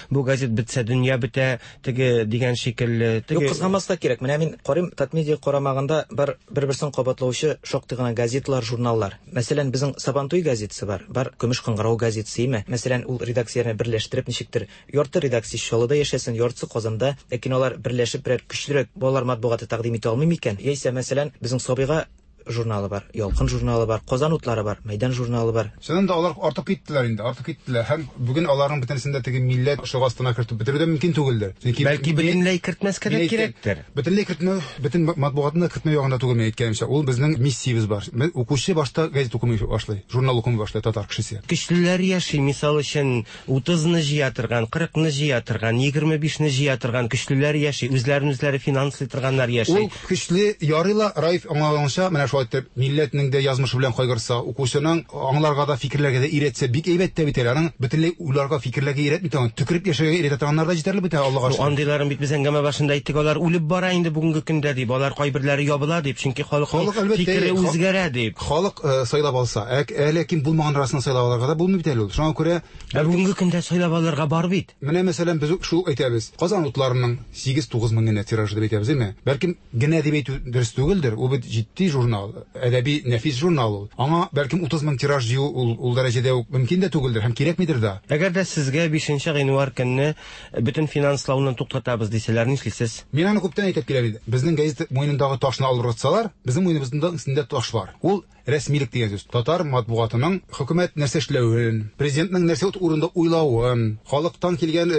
L: бу газет бетсә дөнья бетә, теге дигән шикелле.
N: Теге... Юк, кызганмаска кирәк. Менә мин карыйм, Татмедиа карамагында бар бер-берсен кабатлаучы шактый гына газеталар, журналлар. Мәсәлән, безнең Сабантуй газетасы бар, бар Көмеш кыңгырау газетасы, име? Мәсәлән, ул редакцияләрне берләштереп ничектер, ярты редакция Чаллыда яшәсен, яртысы Казанда, ләкин алар берләшеп берәр көчлерәк балалар матбугаты тәкъдим итә алмый микән? Яисә, мәсәлән, безнең Сабыйга журналы бар, Ялкын журналы бар, Казан утлары бар, Мәйдан журналы бар.
M: Чыннан да алар артып киттеләр инде, артып киттеләр. Һәм бүген аларның бөтенесен дә теге милләт ышыгы астына кертеп бетерү дә мөмкин түгелдер.
L: Чөнки Бәлки бөтенләй кертмәскә дә кирәктер.
M: Бөтенләй кертмәү, бөтен матбугатны да кертмәү ягында түгел мин әйткәнемчә. Ул безнең миссиябез бар. Укучы башта газет укымый башлый, журнал укымый башлый татар кешесе.
L: Көчлеләр яши, мисал өчен, 30-ны җыя торган, 40-ны җыя торган, 25-не җыя торган көчлеләр яши, үзләрен үзләре финанслый торганнар яши.
M: Ул көчле ярый ла, Раиф аңлаганча, менә шулай итеп, милләтнең дә язмышы белән кайгыртса, укучының аңларга да, фикерләргә дә өйрәтсә, бик әйбәт тә бит әле. Аның бөтенләй уйларга, фикерләргә өйрәтми торган, төкереп яшәргә өйрәтә торганнар да җитәрлек бит әле, Аллага шөкер.
L: Андыйларын бит без әңгәмә башында әйттек, алар үлеп бара инде бүгенге көндә дип, алар кайберләре ябыла дип, чөнки халыкның фикере үзгәрә дип.
M: Халык сайлап алса, ә ләкин булмаган арасыннан сайлап алырга да булмый бит әле ул. Шуңа күрә
L: Ә бүгенге көндә сайлап алырга бар бит.
M: Менә, мәсәлән, без шул ук әйтәбез. Казан утларының 8-9 мең генә тиражы дип әйтәбез, әйме? Бәлкем, генә дип әйтү дөрес түгелдер. Ул бит җитди журнал, әдәби нәфис журнал ул. Аңа, бәлкем, 30 мең тираж җыю ул, ул дәрәҗәдә үк мөмкин дә түгелдер һәм кирәкмидер дә.
L: Әгәр дә сезгә бишенче гыйнвар көнне бөтен финанслауны туктатабыз дисәләр, нишлисез?
M: Мин аны күптән әйтеп киләм инде. Безнең газета муенындагы ташны алып ыргытсалар, безнең муеныбызның өстендә таш бар. Ул. рәсмилек дигән сүз. Татар матбугатының хөкүмәт нәрсә эшләвен, президентның нәрсә урында уйлавын, халыктан килгән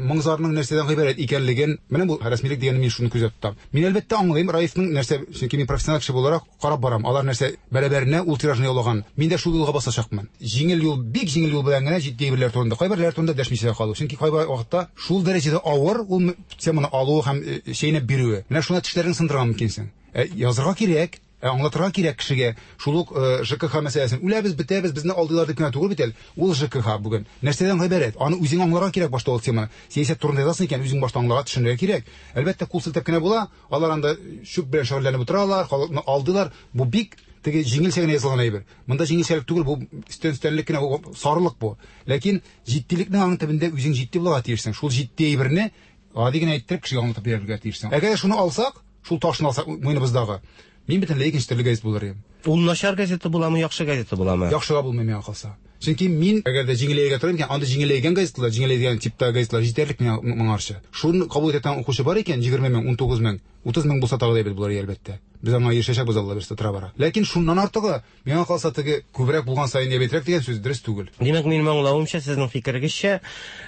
M: моң-зарның нәрсәдән гыйбарәт икәнлеген, менә бу рәсмилек дигәнне мин шуны күздә тотам. Мин әлбәттә аңлыйм Раифның нәрсә, чөнки мин профессиональ кеше буларак карап барам. Алар нәрсә бәрабәренә ул тиражны яулаган. Мин дә шул юлга басачакмын. Җиңел юл, бик җиңел юл белән генә җитди әйберләр турында, кайберләр турында дәшмичә дә калу. Чөнки кайбер вакытта шул дәрәҗәдә авыр ул теманы алуы һәм чәйнәп бирүе. Менә шуна тешләреңне сындырырга мөмкинсең. Ә язырга кирәк, ә аңлатырга кирәк кешегә. Шул ук ЖКХ мәсьәләсен. Үләбез, бетәбез, безне алдыйлар дип кенә түгел бит әле. Ул ЖКХ бүген нәрсәдән гыйбарәт? Аны үзең аңларга кирәк башта ул теманы. Сәясәт турында язасың икән, үзең башта аңларга, төшенергә кирәк. Әлбәттә, кул селтәп кенә була. Алар анда чүп белән шөгыльләнеп утыралар, халыкны алдыйлар. Бу бик теге җиңелчә генә язылган әйбер. Монда җиңелчәлек түгел, бу өстән-өстәнлек кенә, бу сарылык бу. Ләкин җитдилекнең аның төбендә үзең җитди булырга тиешсең. Шул җитди әйберне гади генә иттереп кешегә аңлатып бирергә тиешсең. Әгәр дә шуны алсак, шул ташны алсак муеныбыздагы, мин бөтенләй икенче төрле газет булыр идем.
L: Ул начар газета буламы, яхшы газета буламы?
M: Яхшыга булмый миңа калса. Чөнки мин, әгәр дә җиңеләергә торам икән, анда җиңеләйгән газеталар, җиңеләйгән типтагы газеталар җитәрлек миңа моңарчы. Шуны кабул итә торган укучы бар икән, 20 мең, 19 мең, 30 мең булса тагы да әйбәт булыр иде, әлбәттә. Без аңа ирешәчәкбез, Алла бирсә, тора-бара. Ләкин шуннан артыгы, миңа калса, теге күбрәк булган саен әйбәтрәк дигән сүз дөрес түгел.
L: Димәк, минем аңлавымча, сезнең фикерегезчә,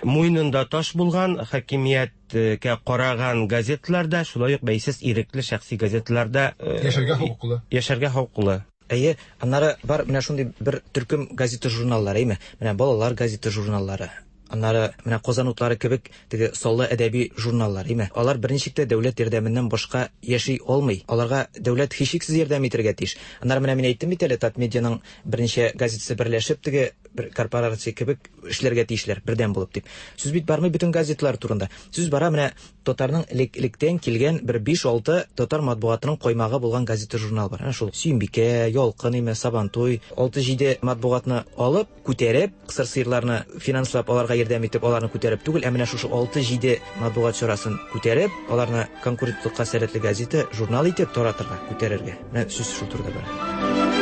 L: муенында таш булган, хакимияткә караган газеталар да, шулай ук бәйсез ирекле шәхси газеталар да
M: яшәргә хокуклы.
L: Яшәргә хокуклы.
N: Әйе, аннары бар менә шундый бер төркем газета-журналлар, әйме? Менә балалар газета-журналлары, аннары менә Казан утлары кебек теге саллы әдәби журналлар, әйме? Алар берничек тә дәүләт ярдәменнән башка яши алмый. Аларга дәүләт һичшиксез ярдәм итәргә тиеш. Аннары менә мин әйттем бит әле, Татмедианың берничә газетасы берләшеп теге бер корпорация кебек эшләргә тиешләр, бердәм булып дип. Сүз бит бармый бөтен газеталар турында. Сүз бара менә татарның элек-электән килгән бер биш-алты татар матбугатының каймагы булган газета-журнал бар. Әнә шул Сөембикә, Ялкын име, Сабантуй, алты-җиде матбугатны алып, күтәреп, кысыр сыерларны финанслап, аларга ярдәм итеп, аларны күтәреп түгел, ә менә шушы алты-җиде матбугат чарасын күтәреп, аларны конкурентлыкка сәләтле газета, журнал итеп таратырга, күтәрергә. Менә сүз шул турыда бара.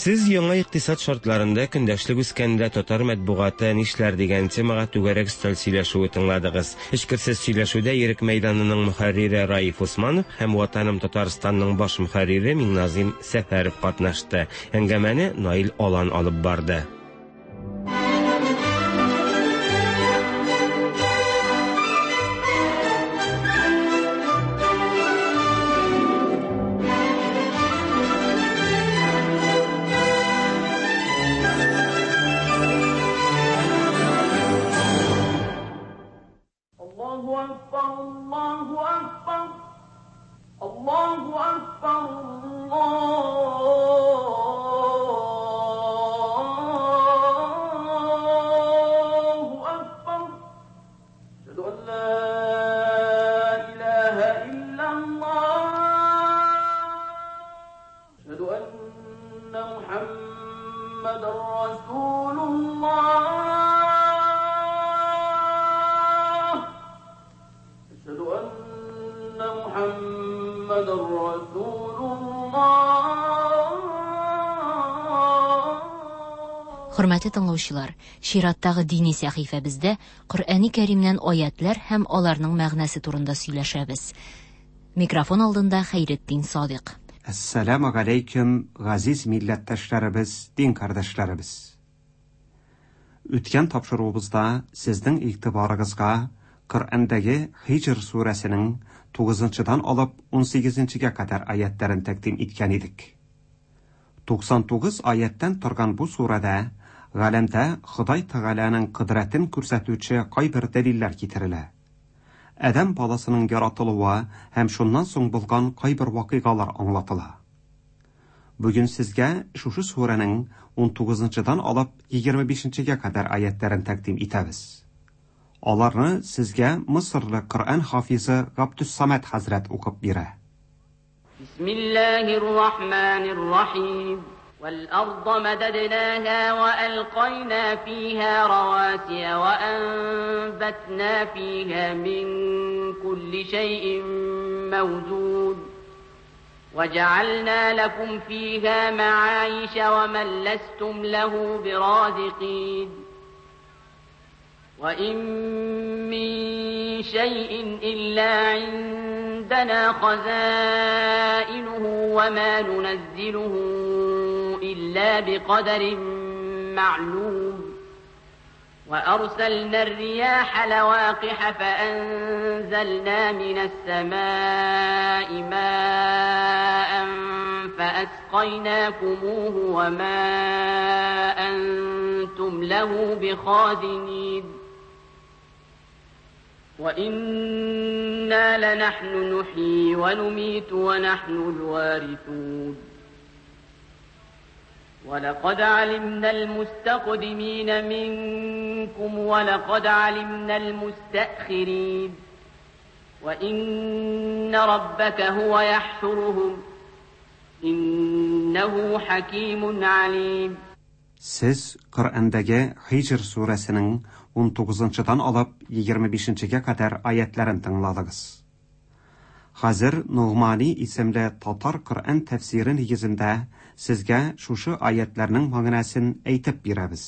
L: Сез яңа икътисад шартларында көндәшлек үскәндә татар матбугаты нишләр дигән темага түгәрәк өстәл сөйләшүе тыңладыгыз. Эчкерсез сөйләшүдә Ирек мәйданының мөхәррире Раиф Усманов һәм Ватаным Татарстанның баш мөхәррире Миңназыйм Сәфәров катнашты. Әңгәмәне Наил Алан алып барды.
B: Хөрмәтле тыңлаучылар, чираттагы дини сәхифәбездә Коръәни Кәримнән аятьләр һәм аларның мәгънәсе турында сөйләшәбез. Микрофон алдында Хәйретдин Садыйк.
C: Әссәламү галәйкүм, газиз милләттәшләребез, дин кардәшләребез! Үткән тапшыруыбызда сезнең игътибарыгызга Коръәндәге Һиҗр сүрәсенең тугызынчыдан алып унсигезенчегә кадәр аятьләрен тәкъдим иткән идек. 99 аятьтән торган бу сүрәдә галәмдә Ходай Тәгаләнең кодрәтен күрсәтүче кайбер дәлилләр китерелә. Адәм баласының яратылуы һәм шуннан соң булган кайбер вакыйгалар аңлатыла. Бүген сезгә шушы сүрәнең унтугызынчыдан алып егерме бишенчегә кадәр аятьләрен тәкъдим итәбез. Аларны сезгә Мысырлы Коръән хафизы Габдүссамәт хәзрәт укып бирә.
D: Бисмиллаһир рахманир рахим. Вәл-арда мәдәднәһа вә әлкайна фиһа равасия вә әнбәтнә фиһа мин кулли шәйин мәүзуд. وجعلنا لكم فيها معايش ومن لستم له برازقين وإن من شيء إلا عندنا خزائنه وما ننزله إلا بقدر معلوم وأرسلنا الرياح لواقح فأنزلنا من السماء ماء فأسقيناكموه وما أنتم له بخازنين وإنا لنحن نحيي ونميت ونحن الوارثون ولقد علمنا المستقدمين منكم ولقد علمنا المستأخرين وإن ربك هو يحشرهم إنه حكيم عليم.
C: Сез Коръәндәге Хиҗр сүрәсенең 19-нчыдан алып 25-нчегә кадәр аятларын тыңладыгыз. Хәзер Ногмани исемле татар Коръән тәфсире нигезендә сезгә шушы аятларның мәгънәсен әйтеп бирәбез.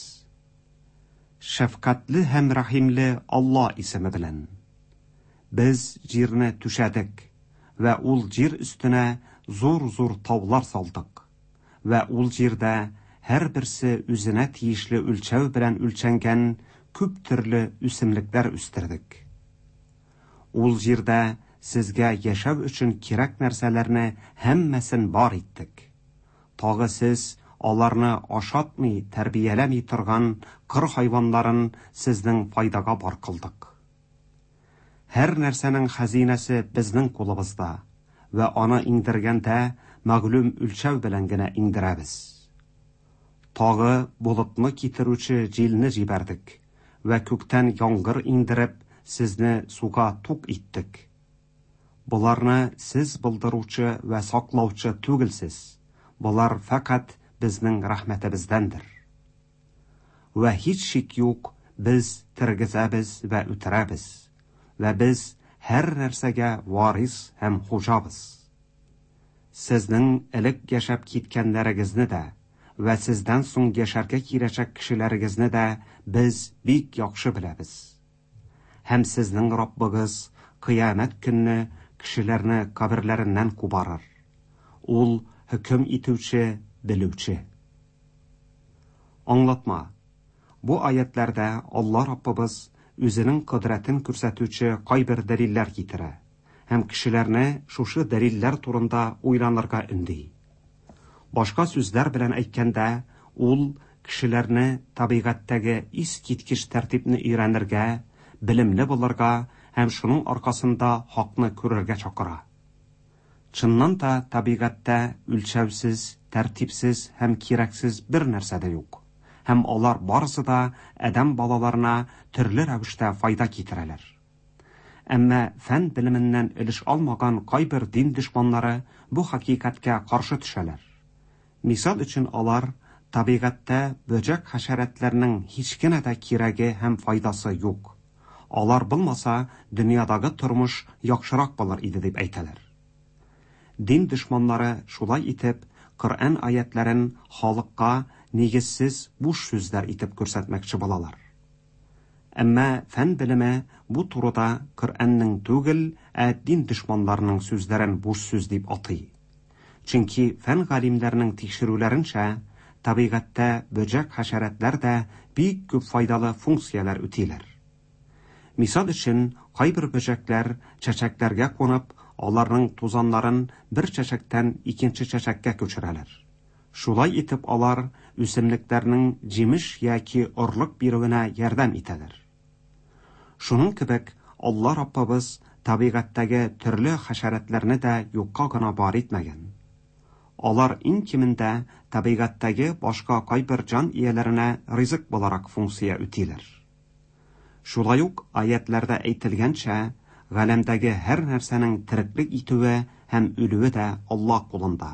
C: Шәфкатьле һәм рәхимле Алла исеме белән. Без җирне түшәдек вә ул җир өстенә зур-зур таулар салдык. Вә ул җирдә һәрберсе үзенә тиешле үлчәү белән үлчәнгән күп төрле үсемлекләр үстердек. Ул җирдә сезгә яшәү өчен кирәк нәрсәләрне һәммәсен бар иттек. Тагы сез аларны ашатмый, тәрбияләми торган кыр хайваннарын сезнең файдага бар кылдык. Һәр нәрсәнең хәзинәсе безнең кулыбызда, вә аны иңдергәндә мәгълүм үлчәү белән генә иңдерәбез. Тагы болытны китерүче җилне җибәрдек вә күктән яңгыр иңдереп, сезне суга тук иттек. Боларны сез булдыручы вә саклаучы түгелсез, болар фәкать безнең рәхмәтебездәндер. Вә һич шик юк, без тергезәбез вә үтерәбез, вә без һәр нәрсәгә варис һәм хуҗабыз. Сезнең элек яшәп киткәннәрегезне дә вә сездән соң яшәргә киләчәк кешеләрегезне дә без бик яхшы беләбез. Һәм сезнең Раббыгыз кыямәт көнне кешеләрне каберләреннән кубарыр. Ул хөкем итүче, белүче. Аңлатма. Бу аятләрдә Алла Раббыбыз үзенең кодрәтен күрсәтүче кайбер дәлилләр китерә һәм кешеләрне шушы дәлилләр турында уйланырга өнди. Башка сүзләр белән әйткәндә, ул кешеләрне табигатьтәге искиткеч тәртипне өйрәнергә, белемле булырга һәм шуның аркасында хакны күрергә чакыра. Чыннан да табигатьтә үлчәүсез, тәртипсез һәм кирәксез бер нәрсә дә юк. Һәм алар барысы да адәм балаларына төрле рәвештә файда китерәләр. Әмма фән белеменнән өлеш алмаган кайбер дин дошманнары бу хакыйкатькә каршы төшәләр. Мисал өчен алар табигатьтә бөҗәк-хәшәрәтләрнең һич кенә дә кирәге һәм файдасы юк. Алар булмаса, дөньядагы тормыш яхшырак булыр иде дип әйтәләр. Дин дошманнары шулай итеп Коръән аятләрен халыкка нигезсез буш сүзләр итеп күрсәтмәкче булалар. Әмма фән белеме бу турыда Коръәннең түгел, ә дин дошманнарының сүзләрен буш сүз дип атый. Чөнки фән галимнәренең тикшерүләренчә, табигатьтә бөҗәк-хәшәрәтләр дә бик күп файдалы функцияләр үтиләр. Мисал өчен, кайбер бөҗәкләр чәчәкләргә кунып, аларның тузаннарын бер чәчәктән икенче чәчәккә күчерәләр. Шулай итеп алар үсемлекләрнең җимеш яки орлык бирүенә ярдәм итәләр. Шуның кебек Алла Раббыбыз табигатьтәге төрле хәшәрәтләрне дә юкка гына бар итмәгән. Алар иң кимендә табигатьтәге башка кайбер җан ияләренә ризык буларак функция үтиләр. Шулай ук аятләрдә әйтелгәнчә, галәмдәге һәр нәрсәнең тереклек итүе һәм үлүе дә Алла кулында.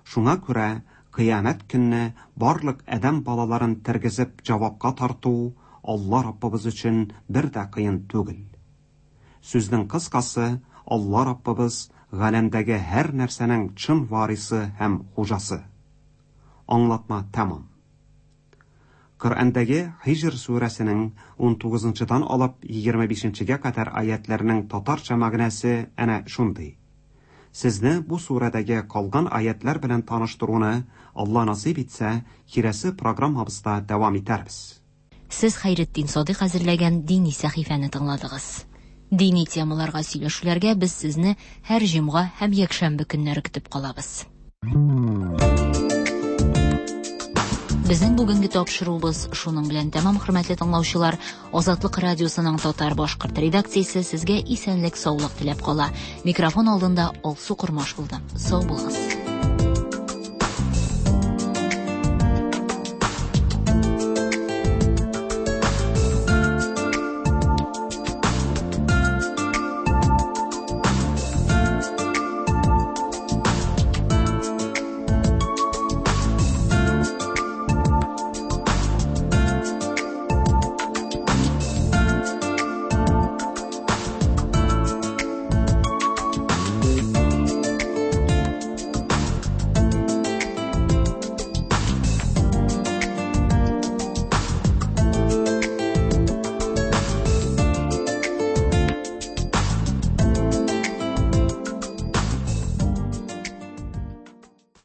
C: Шуңа күрә кыямәт көнне барлык адәм балаларын тергезеп җавапка тарту Алла Раббыбыз өчен бер дә кыен түгел. Сүзнең кыскасы, Алла Раббыбыз галәмдәге һәр нәрсәнең чын варисы һәм хуҗасы. Аңлатма тәмам. Коръәндәге Һиҗр сүрәсенең унтугызынчыдан алып 25нчегә кадәр аятьләрнең татарча мәгънәсе әнә шундый. Сезне бу сүрәдәге калган аятьләр белән таныштыруны, Алла насыйп итсә, киләсе программабызда дәвам итәрбез.
B: Сез Хәйретдин Садыйк әзерләгән дини сәхифәне тыңладыгыз. Дини темаларга сөйләшүләргә без сезне һәр җомга һәм якшәмбе көннәре көтеп калабыз. Безнең бүгенге тапшыруыбыз шуның белән тәмам, хөрмәтле тыңлаучылар. Азатлык радиосының татар башкорт редакциясе сезгә исәнлек, саулык теләп кала. Микрофон алдында Алсу Кормаш булды. Сау булыгыз.